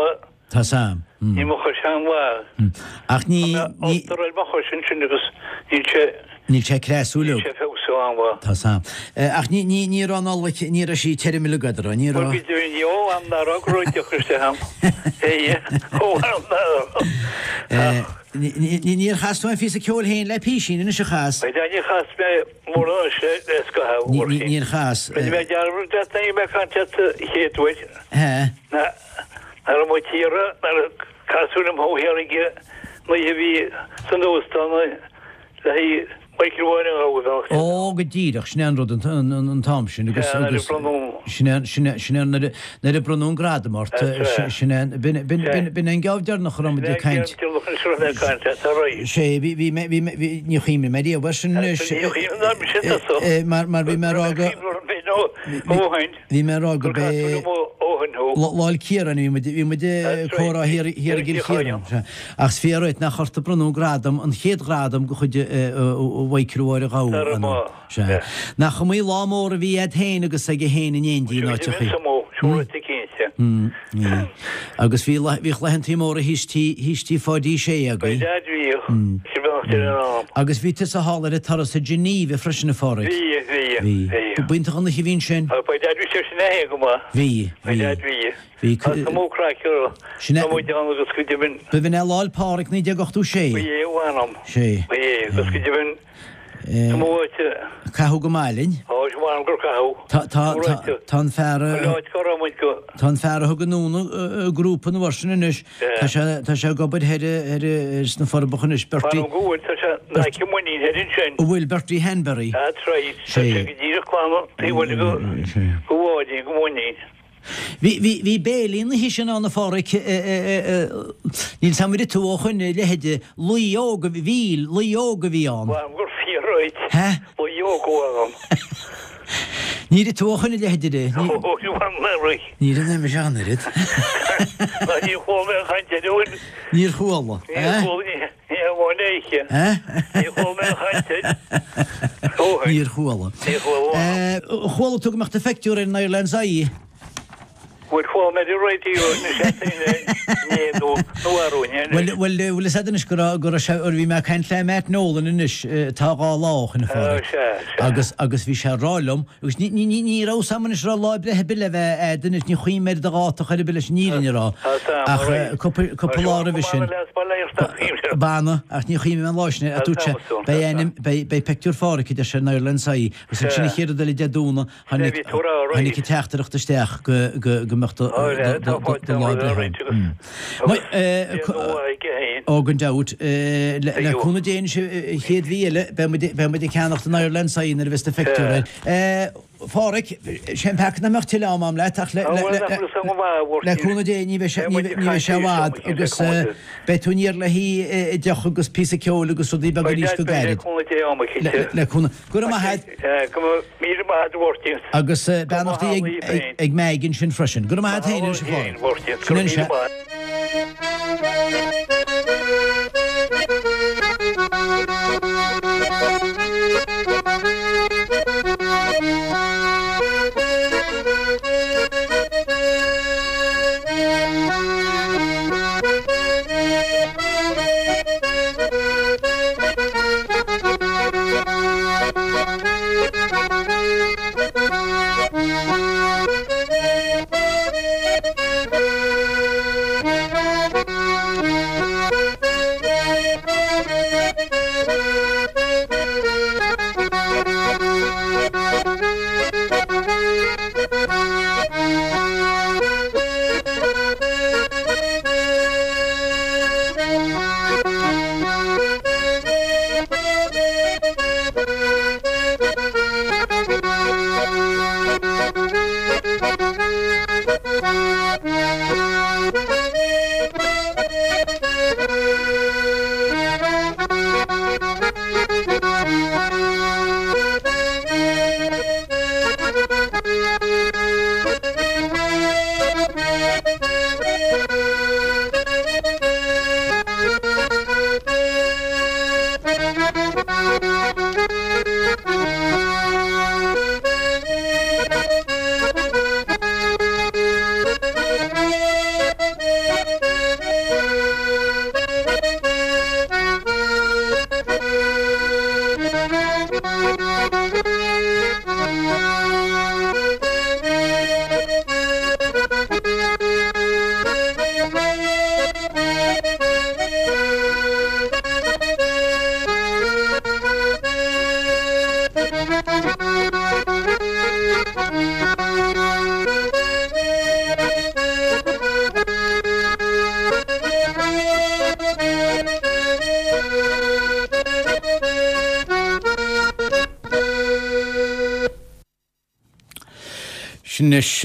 Tá sam. Ní mo chois an-mhaith. Ach ní ní Tá mo chois ansin agus níl sé Níl sé creasúil. Níl sé feabhsú an-mhaith. Tá sam. Ach ní ní ní raibh an Nollaig ní raibh sí tirim uilig agat, ní raibh. Bhuel go deimhin ó am ná raibh go raibh deoch isteach ann. Ó am ná raibh. Níor chas tú aon phíosa ceoil féin le písín anois a chas? Bhuel níor chas mé mórán anois le scaitheamh a Mháirtín. Níor chas. Rinne mé dearmad leat nuair a bhí mé ag caint leat an chéad uair. He. Ná raibh muid thiar nuair a casadh liom thú thiar ag an oíche a bhí san óstán le haghaidh Michael Mháire a ghabháil. Ó, go díreach, sin é an rud an t-am sin agus agus sin é sin é sin é nuair nuair a bronnadh an gradam ort sin é b'in b'in b'in b'in an geábh deireanach a raibh muid ag caint. Sé bhí bhí mé bhí mé bhí ní chuimhním mé riamh air sin anois mar mar bhí mé ag rá go Bhí mé ag rá go b'é Lá 'le Ciaráin bhí muid bhí muid ag comhrá thiar thiar i gCill Chiaráin. Ach is fíor dhuit nach ort a bronnadh an gradam, an chéad ghradam de chuid Mhichael Mháire Ghabha an Sea. Nach iomaí lá mór a bhí a'd féin agus aige féin in éindí in áiteachaí. Agus bhí bhíodh laethantaí móra thíos tí thíos tí Pháidí Sé agaibh. Agus bhí tusa thall ar an turas i Geneva freisin a Phádraig. Bhí, bhí, Bhí. bhí. B'iontach an oíche a bhí ansin. Ba deas bhí sé sin é go maith. Bhí, Ba bhí. deas bhí. Bhí. Tá mó craic orthu. Sin é. Tá muid ann agus go deimhin. B'in é Lá 'le Pádraig naoi déag ochtó sé. Ba é a mh'anam. Sé. Ba é agus go deimhin. Tá mó áit. Caitheadh go maith linn. Á, is m'anam gur caitheadh. Tá, tá, tá, tá an fear a. Chuile áit go raibh muid go. Tá an fear a thug anonn an grúpa an uair sin anois, tá sé, tá sé ag obair thoir, thoir sna Forbacha anois, Bertie. M'anam go bhfuil, tá sé in aice muinín thoir ansin. An bhfuil Bertie Hanbury? That's right, tá sé go díreach clann taobh bhaile go, go Mháirín, go Muinín. Bhí, bhí, bhí béilí an oíche sin ann a Pháraic, níl 's a'm ar ith tú ó shoin a leithide, laoi óg a bhí, laoi óg a bhí ann. M'anam gur fíor dhuit, laoi óg a bhí ann. Níor ith tú ó shoin a leithide de. Ó, ní bhain mé rith. Níor fhan mise ach an oiread. Ná níor chuala mé an chaint air ó shin. Níor chuala. Níor chuala, ní hamháin é oíche. Níor chuala mé an chaint air ó shin. Níor chuala. Níor chuala. Chuala tú go mbeadh do phictiúr ar an Ireland's Eye? Bhuel, chuala mé ar an raidió na seachtaine inné nó nó arú inné anois. Bhuel, bhuel, bhfuil fhios a'd anois go raibh, go raibh sé, bhí mé ag caint le Matt Nolan anois, tá dhá lá ó shoin a Pháraic. Ó, sea, sea. Agus, agus bhí sé ag rá liom, agus ní, ní, ní, ní raibh 'fhios a'm anois raibh lá breithe ar bith le bheith a'd anois, ní chuimhním ar do dháta chor ar bith leis an fhírinne a rá. Tá 'fhios a'm, Ach alright. cúpla, cúpla lá roimhe sin. B'anna, ach ní chuimhním an lá sin, a dúirt sé, beidh ainm, beidh, beidh pictiúr Pháraic, a deir sé, in Ireland's Eye, agus ansin an chéad rud eile Dé Domhnaigh, Tháinig an teachtaireacht isteach go mbeadh do lá breithe ann. Ó, gan dabht. Le cúnamh Dé anois an chéad mhí eile, beidh muid ag ceannacht an Ireland's Eye nuair a bheas do phictiúr air. A Pháraic, sé an peaca nach mbeadh tuilleadh ama a'm leat ach le cúnamh Dé ní bheidh sé i bhfad agus beidh tú aniar le haghaidh deoch agus píosa ceoil agus rudaí beaga arís go gairid. Le cúnamh. Go raibh maith a'd. Go raibh míle maith a'd a Mháirtín. Agus beannachtaí ag Meg ansin freisin. Go raibh maith a'd féin anois a Pháraic. Sin anois é. Sin anois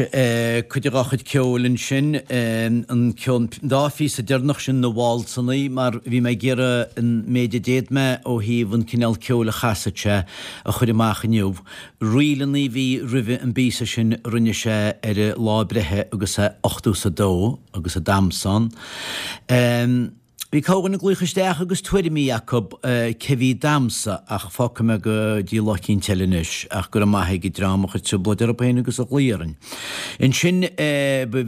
cuid dá chuid ceoil ansin, an ceann, dá phíosa deireanach sin na válsannaí, mar bhí mé ag iarraidh an méid a d'fhéad mé ó thaobh an cineál ceoil a chasfadh sé a chur amach inniu. Ríleanna a bhí roimhe an bpíosa sin a rinne sé ar a lá breithe agus é ochtó 's a dó agus a damhsa ann. Bhí corrdhuine ag glaoch isteach agus tuairimí acu cé bhí ag damhsa ach fágfaidh mé go dtí lá eicínt eile anois ach go raibh maith ag an dream a chuir trioblóid orthu féin agus a ghlaoigh orainn. Ansin ba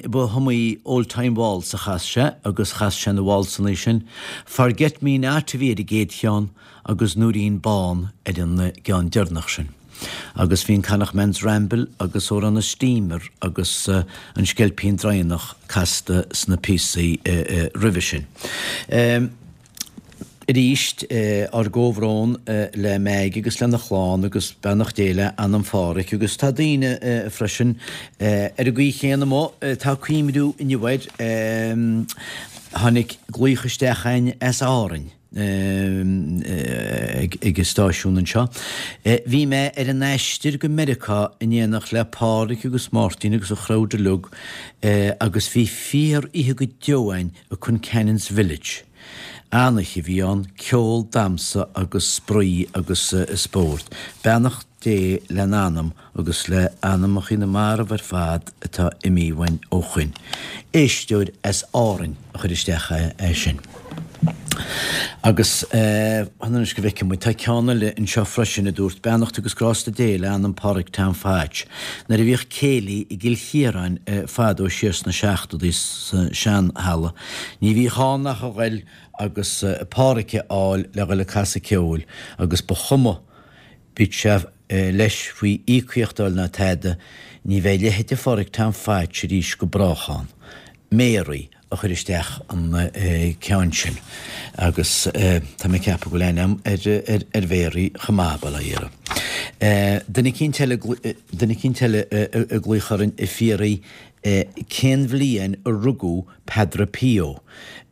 ba iomaí Old Time Waltz a chas sé agus chas sé na waltsannaí sin. Forget Me Not a bhí ar an gcéad cheann agus Noirín Bán ar an gceann deireanach sin. Agus bhí an Connacht Man's Ramble agus Over on a Steamer agus an Sceilpín Draighneach casta sna píosaí roimhe sin. Arís, ár gcomhbhrón le Meaig agus lena chlann agus beannacht Dé le anam Phádhraic agus tá daoine freisin ar an gcaoi chéanna amuigh, tá cuimhniú inniu air, tháinig glaoch isteach againn as Árainn. ag an stáisiún anseo. Bhí mé ar an aistear go Meiriceá in éineacht le Pádraig agus Máirtín agus an chrowd uilig agus bhí fíor oíche go deo againn i Concannon's Village. An-oíche a bhí ann, ceol, damhsa agus spraoi agus spórt. Beannacht Dé lena anam agus le anamacha na marbh ar fad atá imithe uainn ó shoin. Éisteoir as Árainn a chuir isteach é sin. Agus fan anois go bhfeicfidh muid, tá ceann eile anseo freisin a dúirt, Beannacht agus grásta Dé le anam Phádraig Tom Phatch. Nuair a bhíodh céilí i gCill Chiaráin fadó siar sna seachtóidí sa sean-halla, ní bhíodh ann ach a ghoil agus Pádhraic a fháil le ghoil ag casadh ceoil agus ba chuma bíodh sé leis faoi íocaíocht a fháil ná tada, ní bheidh leithéid de Phádraig Tom Phatch arís go brách ann. Mary a chuir isteach an ceann sin agus tá mé ag ceapadh go bhfuil aithne agam ar Mhary chomh maith, bail ó Dhia uirthi. Duine eicínt eile, duine eicínt eile ag glaoch orainn ag fiafraí cén bhliain a rugadh Padre Pio.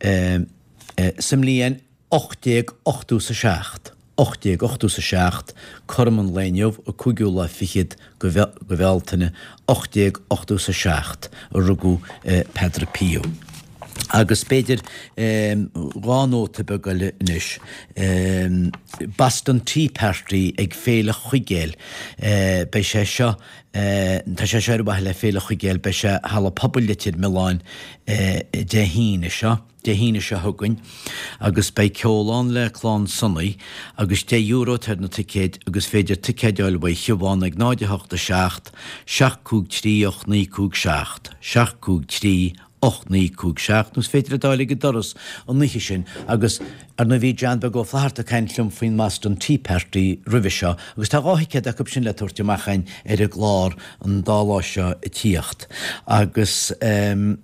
Sa mbliain ocht déag ochtó 's a seacht, ocht déag ochtó 's a seacht, cothrom an lae inniu, an cúigiú lá fichead de Bhealtaine, ocht déag ochtó 's a seacht, a rugadh Padre Pio. Agus b'fhéidir dhá nóta beag eile anois. Boston Tea Party ag Féile Chuigéil. Beidh sé seo, tá sé seo ar mhaithe le Féile Chuigéil, beidh sé Halla Pobail Leitir Mealláin Dé hAoine seo. Dé hAoine seo chugainn agus beidh ceol ann le Clann Sonaí agus deich euro atá ar na ticéid agus féidir ticéid a fháil uaidh Shiobhán ag náid a hocht a seacht, seacht cúig trí ocht naoi cúig seacht, seacht cúig trí ocht naoi cúig seacht nó is féidir iad a fháil ag an doras an oíche sin agus ar ndóigh bhí John Beag Ó Flatharta ag caint liom faoin mBoston Tea Party roimhe seo agus tá dhá thicéad acu sin le tabhairt amach againn ar an gclár an dá lá seo ag tíocht agus ehm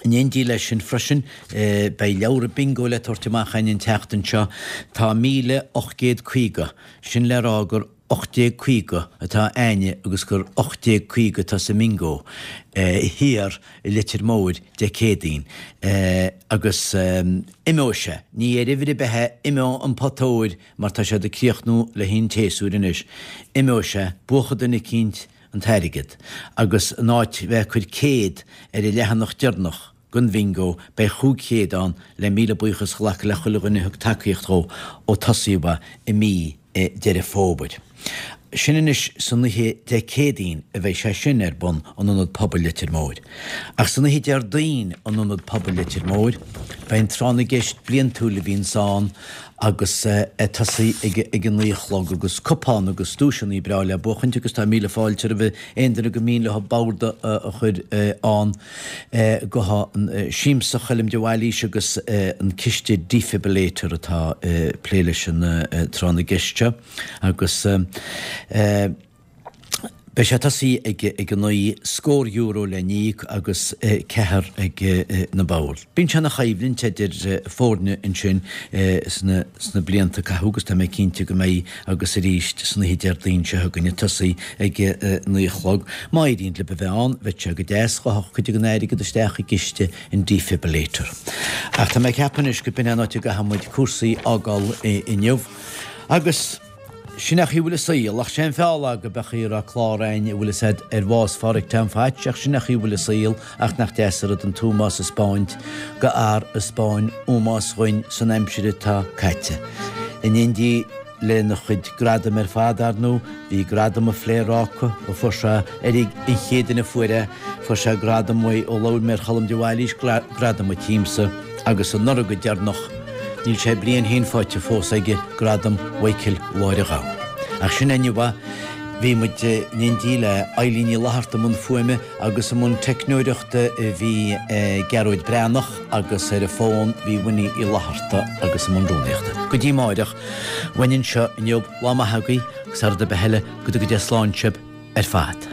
In éindí leis sin freisin, beidh leabhra bingo le tabhairt amach againn an tseachtain seo. Tá míle ocht gcéad caoga, sin le rá gur ocht déag caoga atá a'inne agus gur ocht déag caoga atá sa mbingo thiar i Leitir Móir Dé Céadaoin. Agus imeoidh sé, ní ar uimhir ar bith é, imeoidh an pota óir mar tá siad ag críochnú le haghaidh an tséasúir anois, imeoidh sé, buafaidh duine eicínt, an t-airgead, agus in áit bheith ag cur céad ar an leathanach deireanach den bhingo, beidh chúig chéad ann le míle buíochas a ghlacadh le chuile dhuine a thug tacaíocht dhó ó tosaíodh é i mí Deireadh Fómhair. Sin anois san oíche Dé Céadaoin a bheidh sé sin ar bun in Ionad Pobail Leitir Móir. Ach san oíche Déardaoin in Ionad Pobail Leitir Móir, beidh an tráth na gceist bliantúil a bhíonns ann agus ag tosaí ag a naoi a chlog agus cupán agus duaiseanna breá le buachaint agus tá míle fáilte roimh aon duine go mian leo bord a chur ann go Siamsa Choilm de Bhailís agus an Ciste Defibrillator atá ag plé leis an tráth na gceist seo agus Beidh sé ag tosaí ag a naoi, scór euro le n-íoc agus ceathair ag na boird. Bíonn sé ina choimhlint idir foirne ansin sna blianta a caitheadh agus tá mé cinnte go mbeidh agus arís san oíche Déardaoin seo chugainn ag tosaí ag a naoi a chlog. Má éiríonn libh a bheith ann, bheadh sé go deas ghabhfadh cuid den airgead isteach i gciste an defibrillator. Ach tá mé ag ceapadh anois go b'in é an áit a gcaithfidh muid cúrsaí a fhágáil inniu agus. Sin é an chaoi a bhfuil an saol, ach sé an feall lá go beadh a raibh clár againn a bhfuil fhios a'd ar bhás Phádhraic Tom Phatch ach sin é an chaoi a bhfuil an saol ach nach deas an rud an t-ómós a 'speáint go fhear a 'speáin ómós dhuinn san aimsir atá caite. In éindí lena chuid gradam ar fad, ar ndú, bhí gradam an Phléaráca a fuair sé ar an chéad duine a fuair é, fuair sé gradam uaidh ó labhair mé ar Cholm de Bhailís, gradam an tsiamsa, agus anuraidh go deireanach, níl sé bliain féin faighte fós aige, gradam Mhichael Mháire Ghabha. Ach sin é inniu é. Bhí muid in éindí le Eilín Ní Fhlatharta i mbun fuaime agus i mbun teicneoireachta bhí Gearóid Breathnach agus ar an bhfón bhí Winnie Uí Fhlatharta agus i mbun rúnaíochta. Go dtí amáireach, uainn anseo inniu, lá maith agaibh agus thar rud ar bith eile, go dtuga Dia slán sibh ar fad.